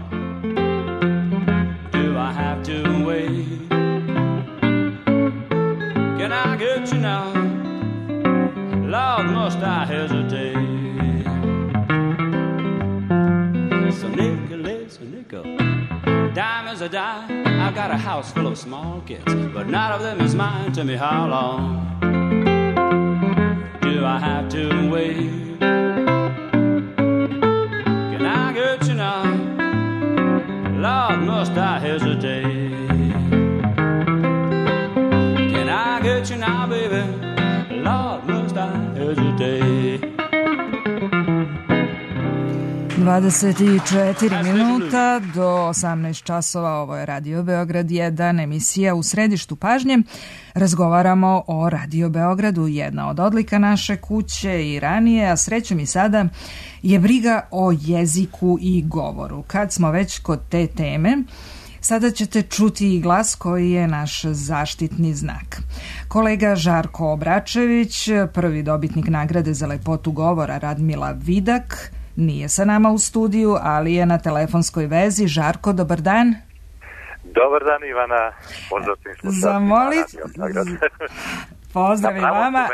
[SPEAKER 21] do I have to wait? Can I get you now? Lord, must I hesitate? So nickel, listen, nickel, dime is a dime. I've got a house full of small kids, but none of them is mine. Tell me how long do I have to wait? Can I get you now? Lord, must I hesitate? Can I get you now, baby? Lord, must I hesitate?
[SPEAKER 1] dvadeset četiri minuta do osamnaest časova, ovo je Radio Beograd jedan, emisija U središtu pažnje. Razgovaramo o Radio Beogradu, jedna od odlika naše kuće i ranije, a srećom i sada je briga o jeziku i govoru. Kad smo već kod te teme, sada ćete čuti i glas koji je naš zaštitni znak. Kolega Žarko Obračević, prvi dobitnik nagrade za lepotu govora Radmila Vidak, nije sa nama u studiju, ali je na telefonskoj vezi. Žarko, dobar dan.
[SPEAKER 5] Dobar dan, Ivana. Pozdrav svim slušalcima.
[SPEAKER 1] Zamolit... Pozdrav i vama.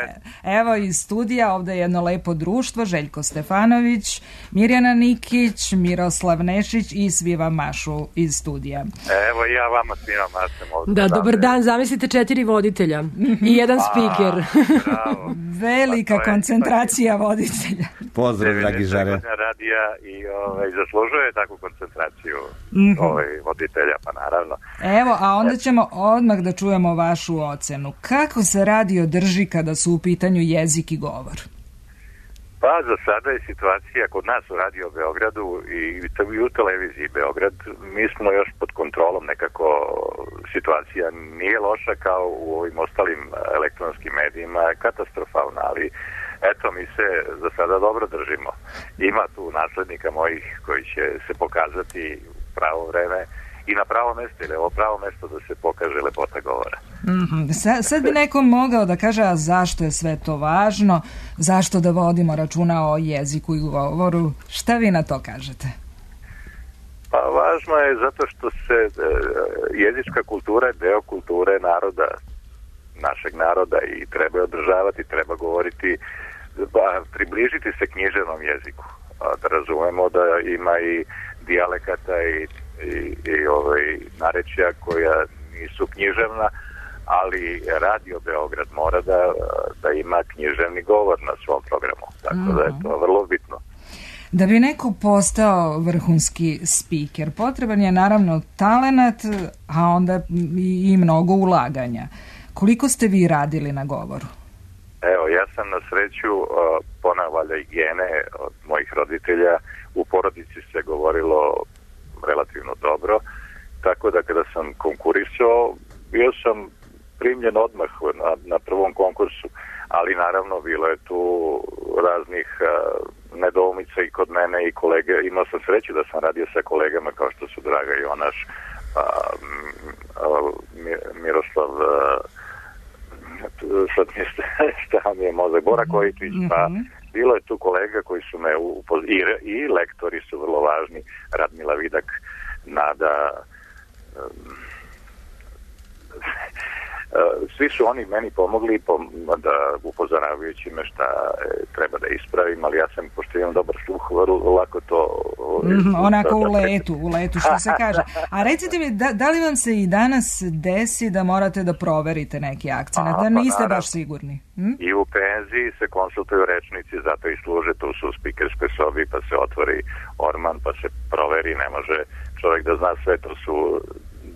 [SPEAKER 1] Evo iz studija, ovde je jedno lepo društvo, Željko Stefanović, Mirjana Nikić, Miroslav Nešić i svi vam mašu iz studija.
[SPEAKER 5] Evo i ja vama svima mašem ovdje.
[SPEAKER 3] Da, dobar dan, zamislite četiri voditelja i jedan spiker.
[SPEAKER 1] Velika koncentracija voditelja.
[SPEAKER 5] Pozdrav, dragi Žare. Radija i ovaj, zaslužuje takvu koncentraciju ovaj, voditelja, pa naravno.
[SPEAKER 1] Evo, a onda ćemo odmah da čujemo vašu ocenu. Kako se radio drži kada su u pitanju jezik i govor?
[SPEAKER 5] Pa za sada je situacija kod nas u Radio Beogradu i u televiziji Beograd, mi smo još pod kontrolom, nekako situacija nije loša kao u ovim ostalim elektronskim medijima, katastrofalna, ali eto, mi se za sada dobro držimo. Ima tu naslednika mojih koji će se pokazati u pravo vreme i na pravo mesto, ili ovo pravo mesto da se pokaže lepota govora.
[SPEAKER 1] Mm-hmm. Sad, sad bi neko mogao da kaže, a zašto je sve to važno, zašto da vodimo računa o jeziku i govoru, šta vi na to kažete?
[SPEAKER 5] Pa važno je zato što se e, jezička kultura je deo kulture naroda, našeg naroda i treba je održavati, treba govoriti, ba, približiti se književnom jeziku, a, da razumemo da ima i dijalekata i i, i ovaj, narečja koja nisu književna, ali Radio Beograd mora da, da ima književni govor na svom programu, tako mm-hmm. da je to vrlo bitno.
[SPEAKER 1] Da bi neko postao vrhunski spiker, potreban je naravno talenat, a onda i, i mnogo ulaganja. Koliko ste vi radili na govoru?
[SPEAKER 5] Evo, ja sam na sreću uh, ponavlja i gene od mojih roditelja. U porodici se govorilo relativno dobro, tako da kada sam konkurisao, bio sam primljen odmah na, na prvom konkursu, ali naravno bilo je tu raznih uh, nedoumica i kod mene i kolege. Imao sam sreću da sam radio sa kolegama kao što su Draga Jonaš, uh, uh, Miroslav, uh, sad mi je stao mi je mozak, Bora Kojičić, pa bilo je tu kolega koji su me upoz... I, i lektori su vrlo važni, Radmila Vidak, Nada, um, svi su oni meni pomogli da upozoravajući me šta treba da ispravim, ali ja sam, pošto imam dobar sluh, lako to...
[SPEAKER 1] Mm, onako u letu, u letu, što se kaže. A recite mi, da, da li vam se i danas desi da morate da proverite neki akcent, da niste pa, baš sigurni? Hm?
[SPEAKER 5] I u penziji se konsultuju rečnici, zato i služe, tu su u spikerskoj sobi, pa se otvori orman, pa se proveri, ne može čovjek da zna sve, to su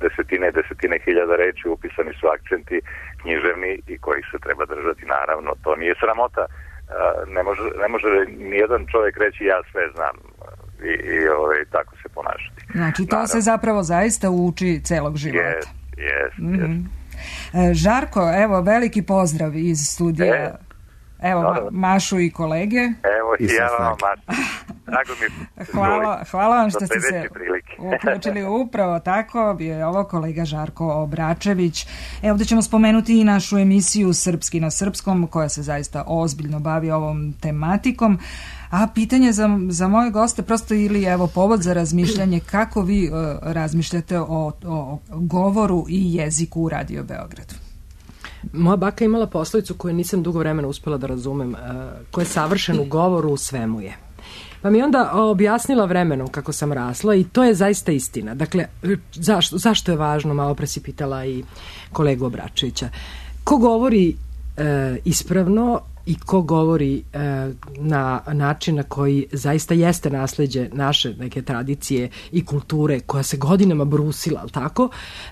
[SPEAKER 5] desetine, desetine hiljada reči, upisani su akcenti književni i kojih se treba držati, naravno, to nije sramota. Ne može, ne može nijedan čovjek reći ja sve znam i, i ovaj, tako se ponašati.
[SPEAKER 1] Znači, to naravno se zapravo zaista uči celog života.
[SPEAKER 5] Yes, yes,
[SPEAKER 1] mm-hmm. yes. Žarko, evo, veliki pozdrav iz studija. E, evo, ma, Mašu i kolege.
[SPEAKER 5] Evo i ja vam, Mašu. Drago mi
[SPEAKER 1] hvala, hvala vam što ste se uključili upravo tako. Bio je ovo kolega Žarko Obračević. Evo da ćemo spomenuti i našu emisiju Srpski na srpskom, koja se zaista ozbiljno bavi ovom tematikom. A pitanje za, za moje goste prosto ili evo povod za razmišljanje kako vi uh, razmišljate o, o govoru i jeziku u Radio Beogradu.
[SPEAKER 3] Moja baka imala poslovicu koju nisam dugo vremena uspela da razumem, uh, koja je savršen u govoru, u svemu je. Pa mi onda objasnila vremenom kako sam rasla i to je zaista istina. Dakle, zašto, zašto je važno, malo pre si pitala i kolegu Obračevića. Ko govori e, ispravno i ko govori e, na način na koji zaista jeste nasleđe naše neke tradicije i kulture koja se godinama brusila, ali tako,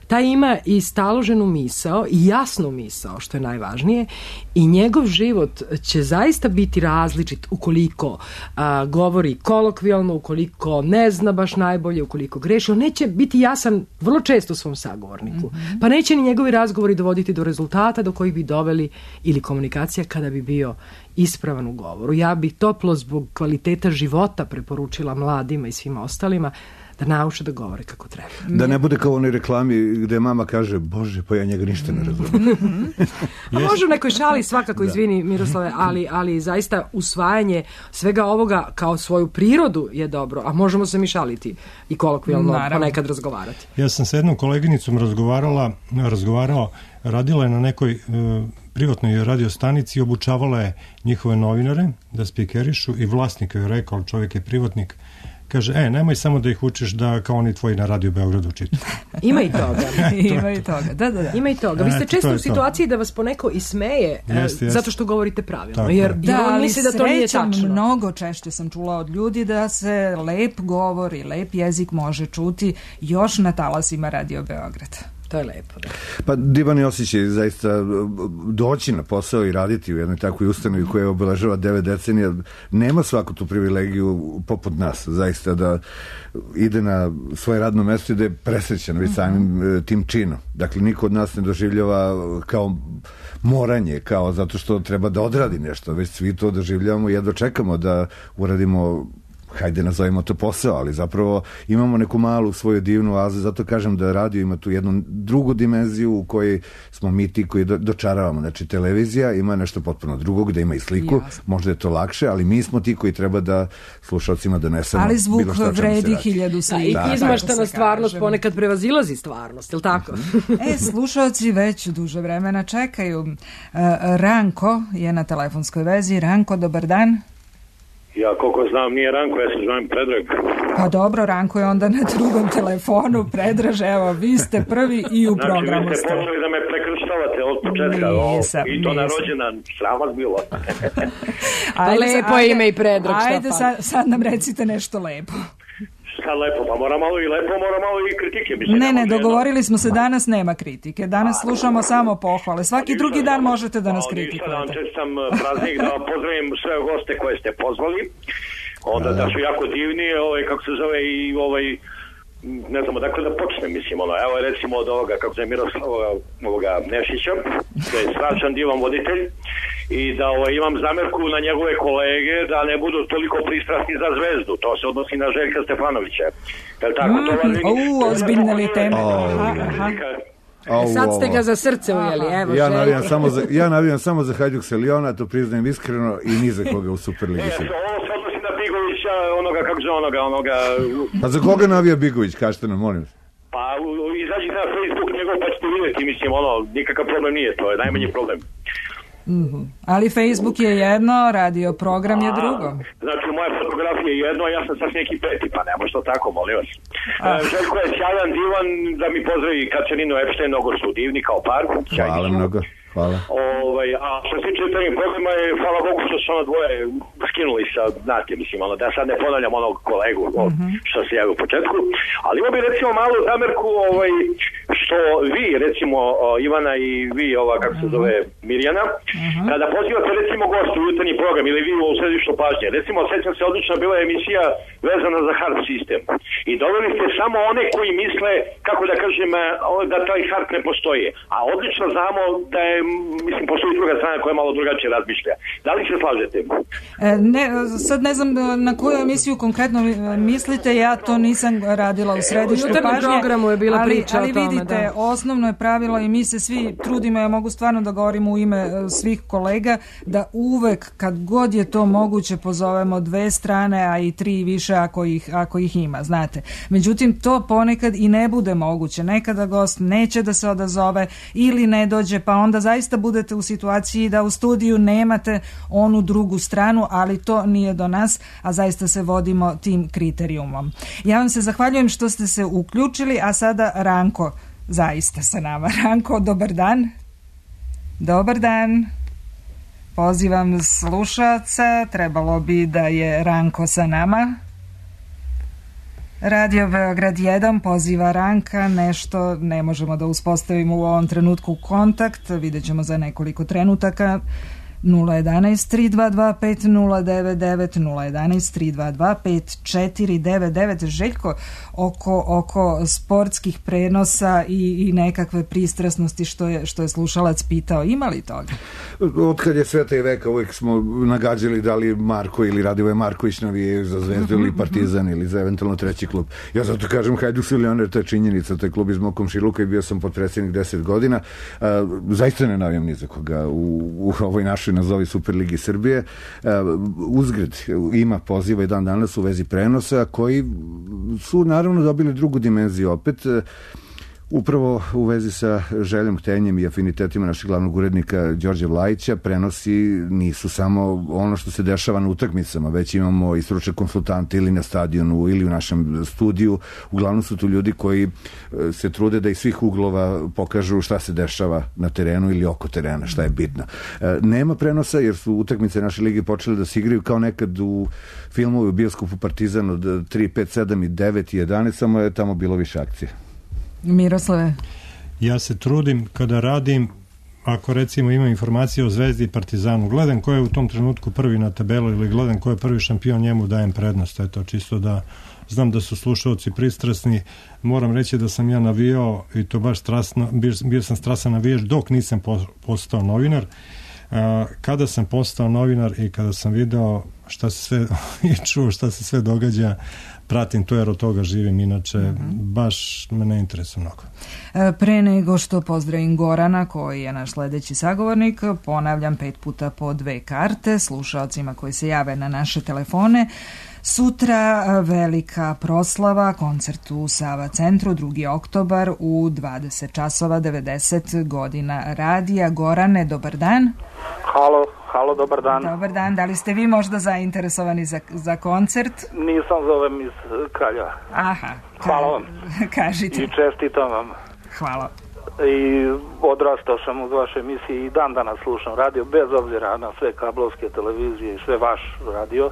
[SPEAKER 3] taj ima i staloženu misao i jasnu misao, što je najvažnije, i njegov život će zaista biti različit ukoliko a, govori kolokvijalno, ukoliko ne zna baš najbolje, ukoliko greši. On neće biti jasan vrlo često svom sagovorniku. Mm-hmm. Pa neće ni njegovi razgovori dovoditi do rezultata do kojih bi doveli ili komunikacija kada bi bio ispravan u govoru. Ja bih toplo zbog kvaliteta života preporučila mladima i svima ostalima da nauče da govore kako treba.
[SPEAKER 2] Da ne bude kao u onoj reklami gde mama kaže, Bože, pa ja njega ništa ne razumijem.
[SPEAKER 3] A može u nekoj šali svakako, izvini Miroslave, ali, ali zaista usvajanje svega ovoga kao svoju prirodu je dobro, a možemo se mi šaliti i kolokvijalno ponekad razgovarati.
[SPEAKER 4] Ja sam sa jednom koleginicom razgovarala, razgovarao, radila je na nekoj uh, privatnoj radiostanici i obučavala je njihove novinare da spikerišu i vlasnik je rekao, ali čovjek je privatnik, kaže, e, nemoj samo da ih učiš da kao oni tvoji na Radio Beogradu čitaju.
[SPEAKER 3] Ima i toga.
[SPEAKER 1] Ima i toga, da, da, da.
[SPEAKER 3] Ima i toga. Vi ste često u situaciji da vas poneko ismeje jest, jest. zato što govorite pravilno. Tako jer
[SPEAKER 1] da, on misli da to nije tačno.
[SPEAKER 3] Mnogo
[SPEAKER 1] češće sam čula od ljudi da se lep govor i lep jezik može čuti još na talasima Radio Beograda.
[SPEAKER 3] To je lepo, da.
[SPEAKER 2] Pa divan je osjećaj zaista doći na posao i raditi u jednoj takvoj ustanovi koja obeležava devet decenija. Nema svaku tu privilegiju poput nas, zaista da ide na svoje radno mesto i da je presrećan već samim tim činom. Dakle, niko od nas ne doživljava kao moranje, kao zato što treba da odradi nešto, već svi to doživljavamo i jedva čekamo da uradimo, hajde nazovimo to posao, ali zapravo imamo neku malu svoju divnu oazu, zato kažem da radio ima tu jednu drugu dimenziju u kojoj smo mi ti koji do, dočaravamo. Znači, televizija ima nešto potpuno drugo, gde ima i sliku, Jasne. možda je to lakše, ali mi smo ti koji treba da slušalcima donesemo
[SPEAKER 1] ali zvuk bilo što vredi hiljadu slika.
[SPEAKER 3] Da, i izmaštana stvarnost kažem. Ponekad prevazilazi stvarnost, je li tako?
[SPEAKER 1] E, slušalci već duže vremena čekaju. Ranko je na telefonskoj vezi. Ranko, dobar dan.
[SPEAKER 6] Ja koliko znam nije Ranko, ja se zovem Predrag.
[SPEAKER 1] Pa dobro, Ranko je onda na drugom telefonu. Predraž, evo, vi ste prvi i u
[SPEAKER 6] znači,
[SPEAKER 1] programu
[SPEAKER 6] ste. Znači, vi ste počeli da me prekrštavate od početka.
[SPEAKER 1] Nisam,
[SPEAKER 6] I to na rođendan, sram vas bilo.
[SPEAKER 3] Pa lepo ajde, ime i Predrag.
[SPEAKER 1] Ajde, sad, sad nam recite nešto lepo.
[SPEAKER 6] Šta lepo, pa mora malo i lepo, mora malo i kritike. Mislim,
[SPEAKER 1] ne, ne, dogovorili smo se, danas nema kritike. Danas slušamo samo pohvale. Svaki drugi dan možete da nas kritikujete.
[SPEAKER 6] Sada vam čestam praznik, da pozdravim sve goste koje ste pozvali. Onda da su jako divni, ovaj, kako se zove i ovaj, ne znamo, dakle da počnem, mislim, ono, evo recimo od ovoga, kako se Miroslava ovoga Nešića, da je strašan divan voditelj i da ovaj, imam zamerku na njegove kolege da ne budu toliko pristrasni za zvezdu, to se odnosi na Željka Stefanovića. Jel tako,
[SPEAKER 1] mm,
[SPEAKER 6] to vas
[SPEAKER 1] u, ozbiljne li teme? Aha, aha.
[SPEAKER 3] Oh, sad ste ga za srce ujeli, evo.
[SPEAKER 2] Ja navijam samo za, ja navijam samo za Hajduk Seliona, to priznajem iskreno, i ni za koga u Superligi.
[SPEAKER 6] E, ovo se odnosi na Bigovića, onoga, kako se onoga, onoga...
[SPEAKER 2] Pa za koga navija Bigović, kažete nam, molim.
[SPEAKER 6] Pa izađite na Facebook njegov, pa ćete vidjeti, mislim, ono, nikakav problem nije, to je najmanji problem.
[SPEAKER 1] Mm-hmm. Ali Facebook je jedno, radio program je drugo.
[SPEAKER 6] Znači, moja fotografija je jedno, a ja sam sasvim neki peti, pa ne može to tako, molim vas. E, Željko je sjajan, divan, da mi pozdravi Kačaninu Epštajn, mnogo su divni kao par.
[SPEAKER 2] Hvala mnogo. Hvala.
[SPEAKER 6] Ovaj, a što se tiče jutarnjeg programa je, hvala Bogu što su ono dvoje skinuli sa, znate, mislim, ono, da sad ne ponavljam onog kolegu mm-hmm. što se javio u početku, ali imao bi recimo malu zamerku, ovaj, što vi, recimo, Ivana i vi, ova, kako se zove, Mirjana, mm-hmm. kada pozivate, recimo, gostu u jutarnji program ili vi u središtu pažnje, recimo, sećam se, odlična bila emisija vezana za hard sistem i doveli ste samo one koji misle, kako da kažem, da taj hard ne postoji, a odlično znamo da je, mislim, postoji druga strana koja malo drugačije razmišlja. Da li se slažete?
[SPEAKER 1] E, ne, sad ne znam na koju emisiju konkretno mislite, ja to nisam radila u središtu pažnje,
[SPEAKER 3] programu je bila
[SPEAKER 1] ali,
[SPEAKER 3] priča
[SPEAKER 1] ali
[SPEAKER 3] o tome,
[SPEAKER 1] vidite,
[SPEAKER 3] da.
[SPEAKER 1] osnovno je pravilo i mi se svi trudimo, ja mogu stvarno da govorim u ime svih kolega, da uvek kad god je to moguće pozovemo dve strane, a i tri više ako ih, ako ih ima, znate. Međutim, to ponekad i ne bude moguće. Nekada gost neće da se odazove ili ne dođe, pa onda zaista budete u situaciji da u studiju nemate onu drugu stranu, ali to nije do nas, a zaista se vodimo tim kriterijumom. Ja vam se zahvaljujem što ste se uključili, a sada Ranko zaista sa nama. Ranko, dobar dan. Dobar dan. Pozivam slušaoca, trebalo bi da je Ranko sa nama. Radio Beograd jedan poziva Ranka, nešto ne možemo da uspostavimo u ovom trenutku kontakt, vidjet ćemo za nekoliko trenutaka. nula jedanaest tri dva dva pet nula devet devet nula jedanaest tri dva dva pet četiri devet devet. Željko, oko, oko sportskih prenosa i, i nekakve pristrasnosti što je, što je slušalac pitao, ima li toga?
[SPEAKER 2] Otkad je sveta i veka uvijek smo nagađali da li Marko ili Radivoje Marković navije za Zvezdu ili Partizan ili za eventualno treći klub. Ja zato kažem Hajduk su Lioner, to je činjenica, to je klub iz mog komšiluka i bio sam potpredsjednik deset godina. A, zaista ne navijam ni za koga u, u ovoj našoj nazovi Superligi Srbije. Uzgred ima poziva i dan danas u vezi prenosa koji su naravno dobili drugu dimenziju opet. Upravo u vezi sa željom, htenjem i afinitetima našeg glavnog urednika Đorđe Vlajića, prenosi nisu samo ono što se dešava na utakmicama, već imamo i stručne konsultante ili na stadionu ili u našem studiju. Uglavnom su tu ljudi koji se trude da iz svih uglova pokažu šta se dešava na terenu ili oko terena, šta je bitno. Nema prenosa jer su utakmice naše lige počele da se igraju kao nekad u filmu u bioskopu Partizan od tri, pet, sedam i devet i jedanaest, samo je tamo bilo više akcije.
[SPEAKER 1] Miroslave?
[SPEAKER 4] Ja se trudim kada radim, ako recimo imam informacije o Zvezdi i Partizanu, gledam ko je u tom trenutku prvi na tabelu ili gledam ko je prvi šampion, njemu dajem prednost. Eto, čisto da znam da su slušalci pristrasni. Moram reći da sam ja navijao i to baš strasno, bio, bio sam strasan navijač dok nisam postao novinar. Kada sam postao novinar i kada sam video šta se sve i čuo šta se sve događa, pratim to jer od toga živim, inače mm-hmm. baš me ne interesuje mnogo.
[SPEAKER 1] Pre nego što pozdravim Gorana, koji je naš sledeći sagovornik, ponavljam pet puta po dve karte slušalcima koji se jave na naše telefone. Sutra velika proslava, koncert u Sava centru, drugi oktobar u dvadeset časova, devedeset godina radija. Gorane, dobar dan.
[SPEAKER 7] Halo, halo, dobar dan.
[SPEAKER 1] Dobar dan, da li ste vi možda zainteresovani za, za koncert?
[SPEAKER 7] Nisam, zovem iz Kraljeva.
[SPEAKER 1] Aha. Ka-
[SPEAKER 7] Hvala vam.
[SPEAKER 1] Kažite.
[SPEAKER 7] I čestitam vam.
[SPEAKER 1] Hvala.
[SPEAKER 7] I odrastao sam uz vaše emisije i dan danas slušam radio, bez obzira na sve kablovske televizije i sve vaš radio.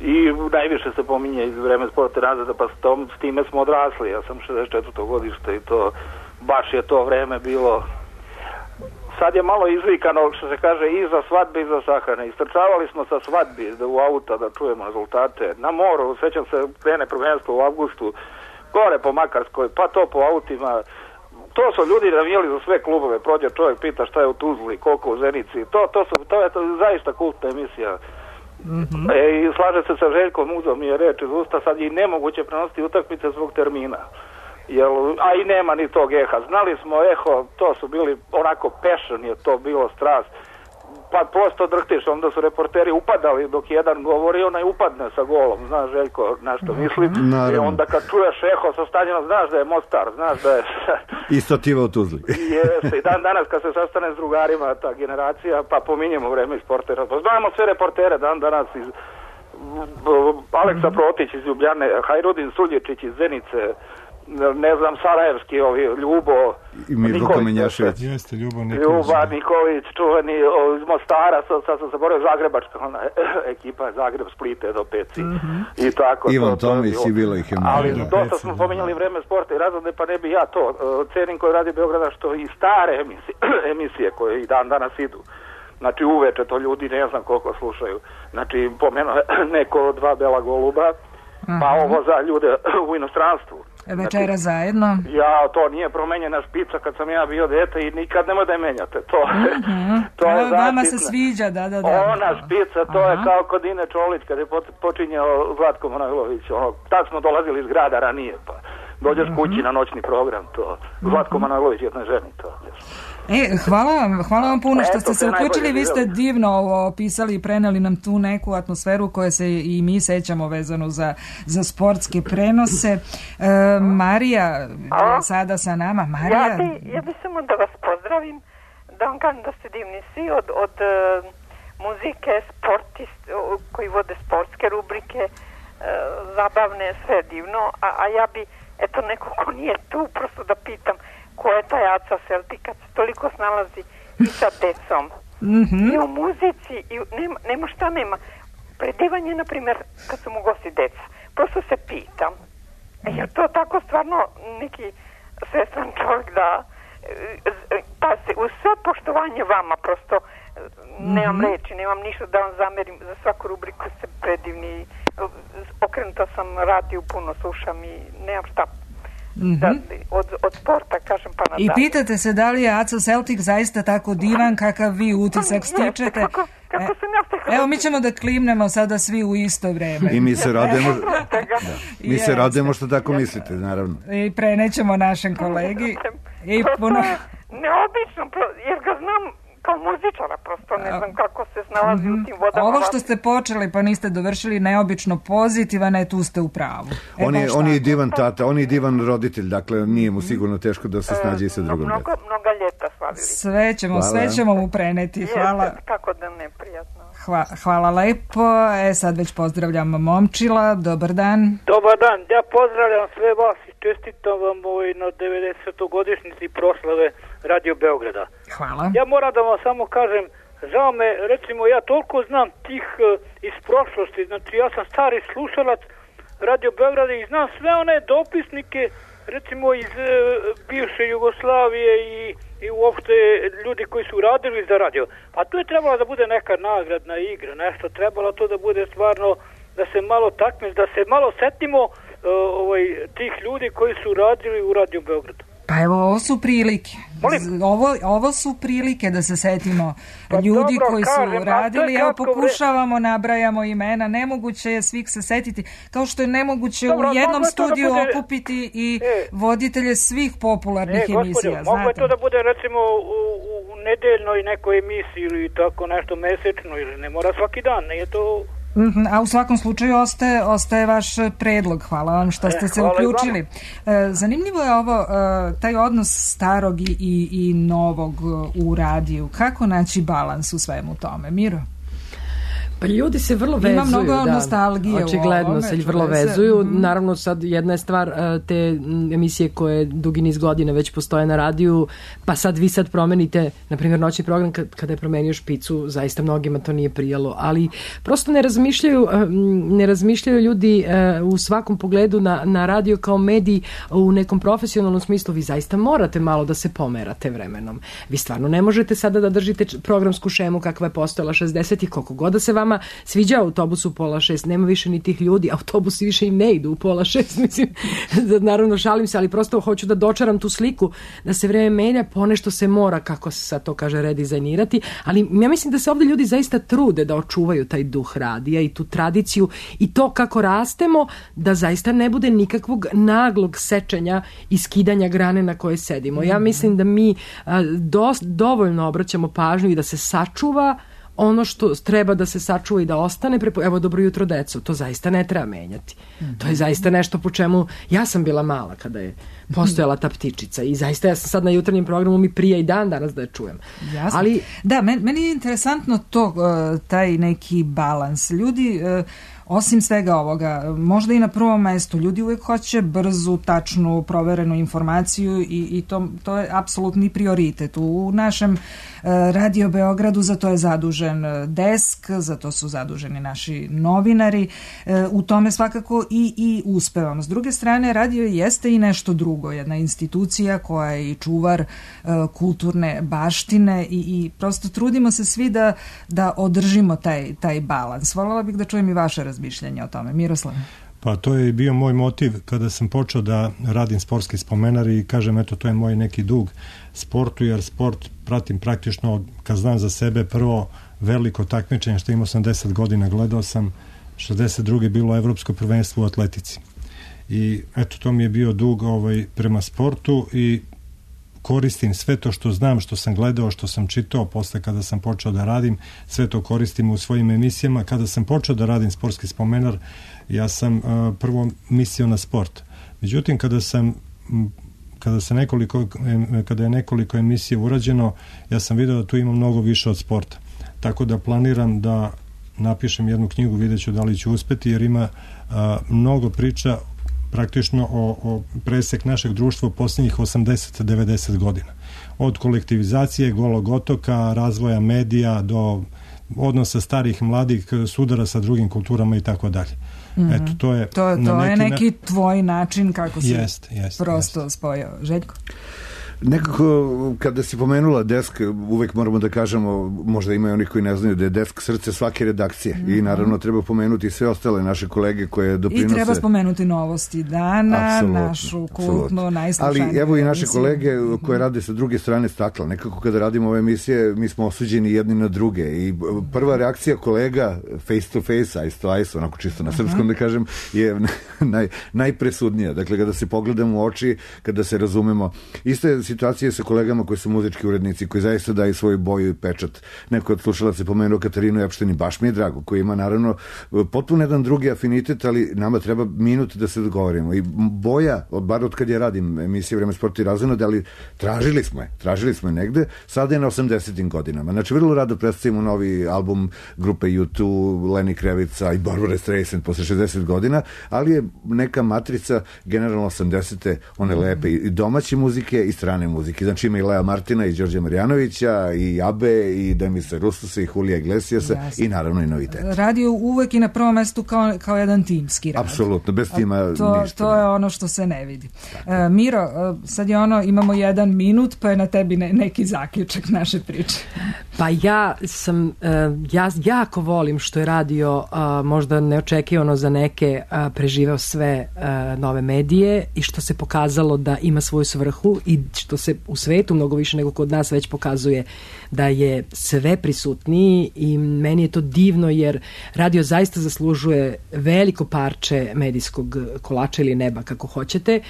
[SPEAKER 7] I najviše se pominje iz vreme sporta razreda, pa s, tom, s time smo odrasli. Ja sam šezdeset četvrto godište i to baš je to vreme bilo. Sad je malo izvikano, što se kaže, i za svadbe i za sahrane. Istrčavali smo sa svadbi u auta da čujemo rezultate. Na moru, sećam se, krene prvenstvo u avgustu, gore po Makarskoj, pa to po autima. To su ljudi navijali za sve klubove. Prođe čovjek, pita šta je u Tuzli, koliko u Zenici. To, to, su, to je to zaista kultna emisija. Mm-hmm. E, i slaže se sa Željkom, uzao mi je reč iz usta, sad je nemoguće prenositi utakmice zbog termina. Jel, a i nema ni tog eha. Znali smo eho, to su bili onako passion, je to bilo strast. pa posto drhtiš, onda su reporteri upadali dok jedan govori, onaj upadne sa golom, znaš Željko, na što mislim.
[SPEAKER 2] Naravno.
[SPEAKER 7] I onda kad čuješ eho sa stadionom, znaš da je Mostar, znaš da je...
[SPEAKER 2] Isto tiva u Tuzli.
[SPEAKER 7] Jeste, i dan danas kad se sastane s drugarima ta generacija, pa pominjemo vreme iz sportera. Znamo sve reportere dan danas iz Aleksa Protić iz Ljubljane, Hajrudin Sulječić iz Zenice, ne znam, Sarajevski, ovi, Ljubo
[SPEAKER 2] i Mirko Kamenjašević.
[SPEAKER 4] Jeste, Ljubo Nikolić.
[SPEAKER 7] Ljuba Nikolić, čuveni iz Mostara, sad, sad sam zaboravio, Zagrebačka ona ekipa, Zagreb, Splite do Peci.
[SPEAKER 2] Mm-hmm.
[SPEAKER 7] I tako.
[SPEAKER 2] Ivan
[SPEAKER 7] to,
[SPEAKER 2] Tomić
[SPEAKER 7] to
[SPEAKER 2] i bilo ih je
[SPEAKER 7] ali
[SPEAKER 2] malo.
[SPEAKER 7] dosta smo pominjali vreme sporta i razlade, pa ne bi ja to. Cenim koji radi Beograda, što i stare emisije, emisije koje i dan danas idu. Znači uveče to ljudi ne znam koliko slušaju. Znači pomenuo neko dva Bela goluba, pa
[SPEAKER 1] Aha.
[SPEAKER 7] ovo za ljude u inostranstvu.
[SPEAKER 1] Večera
[SPEAKER 7] znači,
[SPEAKER 1] zajedno.
[SPEAKER 7] Ja, to nije promenjena špica kad sam ja bio dete i nikad nemoj da je menjate. To,
[SPEAKER 1] Mm-hmm.
[SPEAKER 7] to je
[SPEAKER 1] vama se
[SPEAKER 7] zaštitna.
[SPEAKER 1] sviđa, da, da, da.
[SPEAKER 7] Ona špica, to Aha. je kao kod Ine Čolić kad je počinjao Zlatko Manojlović. Ono, tad smo dolazili iz grada ranije, pa dođeš mm-hmm. kući na noćni program, to. Zlatko Manojlović jednoj ženi, to.
[SPEAKER 1] E, hvala vam, hvala vam puno što
[SPEAKER 7] Eto,
[SPEAKER 1] ste se uključili, vi ste divno opisali i preneli nam tu neku atmosferu koje se i mi sećamo vezano za, za sportske prenose. E, Marija je sada sa nama. Marija?
[SPEAKER 8] Ja bi, ja bi samo da vas pozdravim, da vam kažem da ste divni svi od, od uh, muzike, sportist, uh, koji vode sportske rubrike, uh, zabavne, sve divno, a, a ja bi, eto neko ko nije tu, prosto da pitam, ko je taj Aca Selti kad se toliko snalazi i sa decom.
[SPEAKER 1] Mm-hmm.
[SPEAKER 8] I u muzici, i u, nema, nema šta nema. Predivanje, na primjer, kad su mu gosti deca. Prosto se pitam, e, je to tako stvarno neki svestan čovjek da, pa se, uz sve poštovanje vama, prosto nemam mm-hmm. reči, nemam ništa da vam zamerim, za svaku rubriku ste predivni, okrenuta sam radio, puno slušam i nemam šta.
[SPEAKER 1] Mm-hmm.
[SPEAKER 8] Da, od, od sporta kažem pa nadalje.
[SPEAKER 1] I pitate se da li je Aco Celtic zaista tako divan kakav vi utisak stičete.
[SPEAKER 8] Kako, kako sam ja stekla?
[SPEAKER 1] Evo mi ćemo da klimnemo sada svi u isto vreme.
[SPEAKER 2] I mi se radujemo da. Mi se radujemo što tako mislite, naravno.
[SPEAKER 1] I prenećemo našem kolegi. I puno...
[SPEAKER 8] Neobično, jer ga znam kao muzičara, prosto ne znam kako se snalazi mm-hmm. u tim vodama.
[SPEAKER 1] Ovo što ste počeli pa niste dovršili neobično pozitivan, je tu ste u pravu. E,
[SPEAKER 2] on, je, on je divan tata, on je divan roditelj, dakle nije mu sigurno teško da se snađe i sa drugom
[SPEAKER 8] mnogo,
[SPEAKER 2] djecom.
[SPEAKER 8] mnoga ljeta slavili.
[SPEAKER 1] Sve ćemo, sve ćemo mu preneti. Hvala.
[SPEAKER 8] Jeste, kako da ne, prijatno.
[SPEAKER 1] Hva, hvala lepo. E, sad već pozdravljam Momčila. Dobar dan.
[SPEAKER 22] Dobar dan. Ja pozdravljam sve vas i čestitam vam ovaj na devedesetogodišnjici proslave Radio Beograda.
[SPEAKER 1] Hvala.
[SPEAKER 22] Ja moram da vam samo kažem, žao me, recimo ja toliko znam tih uh, iz prošlosti, znači ja sam stari slušalac Radio Beograda i znam sve one dopisnike, recimo iz uh, bivše Jugoslavije i, i uopšte ljudi koji su radili za radio. Pa tu je trebalo da bude neka nagradna igra, nešto trebalo to da bude stvarno, da se malo takme, da se malo setimo uh, ovaj, tih ljudi koji su radili u Radio Beogradu.
[SPEAKER 1] Pa evo, ovo su prilike. Ovo, ovo su prilike da se setimo pa ljudi dobro, koji su kažem, radili. Evo, pokušavamo, vre... nabrajamo imena. Nemoguće je svih se setiti. Kao što je nemoguće dobro, u jednom studiju da bude... okupiti i e, voditelje svih popularnih e, emisija.
[SPEAKER 22] Mogu je to da bude recimo u, u nedeljnoj nekoj emisiji ili tako nešto mesečno ili ne mora svaki dan. Nije to...
[SPEAKER 1] Mm-hmm, a u svakom slučaju ostaje, ostaje vaš predlog. Hvala vam što ste e, se uključili. E, zanimljivo je ovo, e, taj odnos starog i, i, i novog u radiju. Kako naći balans u svemu tome? Miro?
[SPEAKER 3] Pa ljudi se vrlo vezuju.
[SPEAKER 1] Ima mnogo
[SPEAKER 3] da,
[SPEAKER 1] nostalgije
[SPEAKER 3] očigledno
[SPEAKER 1] u ovome,
[SPEAKER 3] se vrlo vezuju. Mm-hmm. Naravno sad jedna je stvar te emisije koje dugi niz godina već postoje na radiju, pa sad vi sad promenite, na primjer noćni program kada je promenio Špicu, zaista mnogima to nije prijalo, ali prosto ne razmišljaju ne razmišljaju ljudi u svakom pogledu na, na radio kao medij u nekom profesionalnom smislu. Vi zaista morate malo da se pomerate vremenom. Vi stvarno ne možete sada da držite programsku šemu kakva je postojala šezdesetih, koliko god da se vam sviđa autobus u pola šest, nema više ni tih ljudi, autobusi više i ne idu u pola šest, mislim, naravno šalim se, ali prosto hoću da dočaram tu sliku, da se vreme menja, ponešto se mora, kako se sad to kaže, redizajnirati, ali ja mislim da se ovdje ljudi zaista trude da očuvaju taj duh radija i tu tradiciju i to kako rastemo, da zaista ne bude nikakvog naglog sečenja i skidanja grane na kojoj sedimo. Ja mislim da mi a, do, dovoljno obraćamo pažnju i da se sačuva ono što treba da se sačuva i da ostane, prepo... evo dobro jutro deco, to zaista ne treba menjati. Mm-hmm. To je zaista nešto po čemu, ja sam bila mala kada je postojala ta ptičica i zaista ja sam sad na jutarnjem programu mi prija i dan danas da je čujem.
[SPEAKER 1] Jasno.
[SPEAKER 3] Ali,
[SPEAKER 1] da, meni, meni je interesantno to, taj neki balans. Ljudi, osim svega ovoga, možda i na prvom mestu, ljudi uvijek hoće brzu, tačnu, proverenu informaciju i, i to, to je apsolutni prioritet. U našem Radio Beogradu za to je zadužen desk, za to su zaduženi naši novinari, u tome svakako i, i uspevamo. S druge strane, radio jeste i nešto drugo, jedna institucija koja je i čuvar kulturne baštine i, i prosto trudimo se svi da, da održimo taj, taj balans. Voljela bih da čujem i vaše razmišljanje o tome. Miroslav?
[SPEAKER 4] Pa to je bio moj motiv kada sam počeo da radim sportski spomenar i kažem, eto, to je moj neki dug sportu, jer sport pratim praktično, kad znam za sebe, prvo veliko takmičenje što imao sam deset godina, gledao sam šezdeset druge bilo evropsko prvenstvo u atletici. I eto, to mi je bio dug ovaj, prema sportu i koristim sve to što znam, što sam gledao, što sam čitao posle kada sam počeo da radim, sve to koristim u svojim emisijama. Kada sam počeo da radim sportski spomenar, ja sam uh, prvo mislio na sport. Međutim, kada sam kada se nekoliko kada je nekoliko emisija urađeno, ja sam video da tu ima mnogo više od sporta. Tako da planiram da napišem jednu knjigu, vidjet ću da li ću uspeti, jer ima uh, mnogo priča praktično o, o presek našeg društva u posljednjih osamdeset do devedeset godina. Od kolektivizacije, Golog otoka, razvoja medija do odnosa starih, mladih, sudara sa drugim kulturama i tako dalje. Eto, to je,
[SPEAKER 1] to, to
[SPEAKER 4] na
[SPEAKER 1] neki,
[SPEAKER 4] je
[SPEAKER 1] neki na... tvoj način kako si
[SPEAKER 4] jest, jest,
[SPEAKER 1] prosto
[SPEAKER 4] jest.
[SPEAKER 1] spojio. Željko?
[SPEAKER 2] Nekako, kada si pomenula desk, uvek moramo da kažemo, možda imaju oni koji ne znaju da je desk srce svake redakcije. Mm-hmm. I naravno treba pomenuti sve ostale naše kolege koje doprinose.
[SPEAKER 1] I treba spomenuti novosti dana, apsolutno, našu kultnu, najslušaniju.
[SPEAKER 2] Ali evo i naše kolege koje rade sa druge strane stakla. Nekako kada radimo ove emisije, mi smo osuđeni jedni na druge. I prva reakcija kolega face to face, eyes to eyes, onako čisto na srpskom uh-huh. da kažem, je naj, najpresudnija. Dakle, kada se pogledamo u oči, kada se razumemo. Isto je situacije sa kolegama koji su muzički urednici, koji zaista daju svoju boju i pečat. Neko od slušalaca je pomenuo Katarinu Epšten i baš mi je drago, koji ima naravno potpuno jedan drugi afinitet, ali nama treba minut da se dogovorimo. I boja, bar od kad ja radim emisije Vreme sporta i razonode, ali tražili smo je, tražili smo je negde, sada je na osamdesetim godinama. Znači, vrlo rado predstavimo novi album grupe U dva, Lenny Krevica i Barbara Streisand posle šezdeset godina, ali je neka matrica generalno osamdesete, one lepe i domaće muzike i strane muzike. Znači ima i Lea Martina i Đorđa Marjanovića i Abe i Demisa Rustusa i Julija Iglesiasa. Jasne. I naravno i novitet.
[SPEAKER 1] Radio uvek i na prvom mestu kao, kao jedan timski rad.
[SPEAKER 2] Apsolutno, bez tima
[SPEAKER 1] to,
[SPEAKER 2] ništa.
[SPEAKER 1] To je ono što se ne vidi. Uh, Miro, uh, sad je ono, imamo jedan minut, pa je na tebi ne, neki zaključak naše priče.
[SPEAKER 3] Pa ja sam, uh, ja jako volim što je radio uh, možda neočekivano za neke uh, preživeo sve uh, nove medije i što se pokazalo da ima svoju svrhu i što se u svetu mnogo više nego kod nas već pokazuje da je sve prisutniji i meni je to divno jer radio zaista zaslužuje veliko parče medijskog kolača ili neba kako hoćete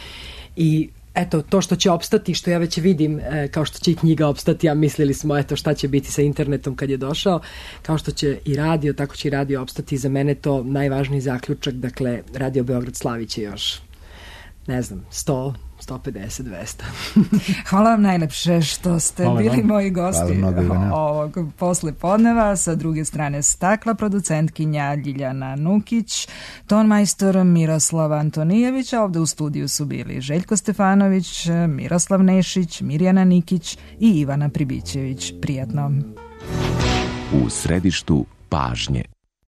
[SPEAKER 3] i eto, to što će opstati, što ja već vidim, e, kao što će i knjiga opstati, a mislili smo, eto, šta će biti sa internetom kad je došao, kao što će i radio, tako će i radio opstati. Za mene to najvažniji zaključak, dakle, Radio Beograd slavit će još, ne znam, sto, sto pedeset, dvesta.
[SPEAKER 1] Hvala vam najlepše što ste Hvala bili vam. moji gosti ovog posle podneva. Sa druge strane stakla, producentkinja Ljiljana Nukić, tonmajstor Miroslav Antonijević, a ovde u studiju su bili Željko Stefanović, Miroslav Nešić, Mirjana Nikić i Ivana Pribićević. Prijatno.
[SPEAKER 17] U središtu pažnje.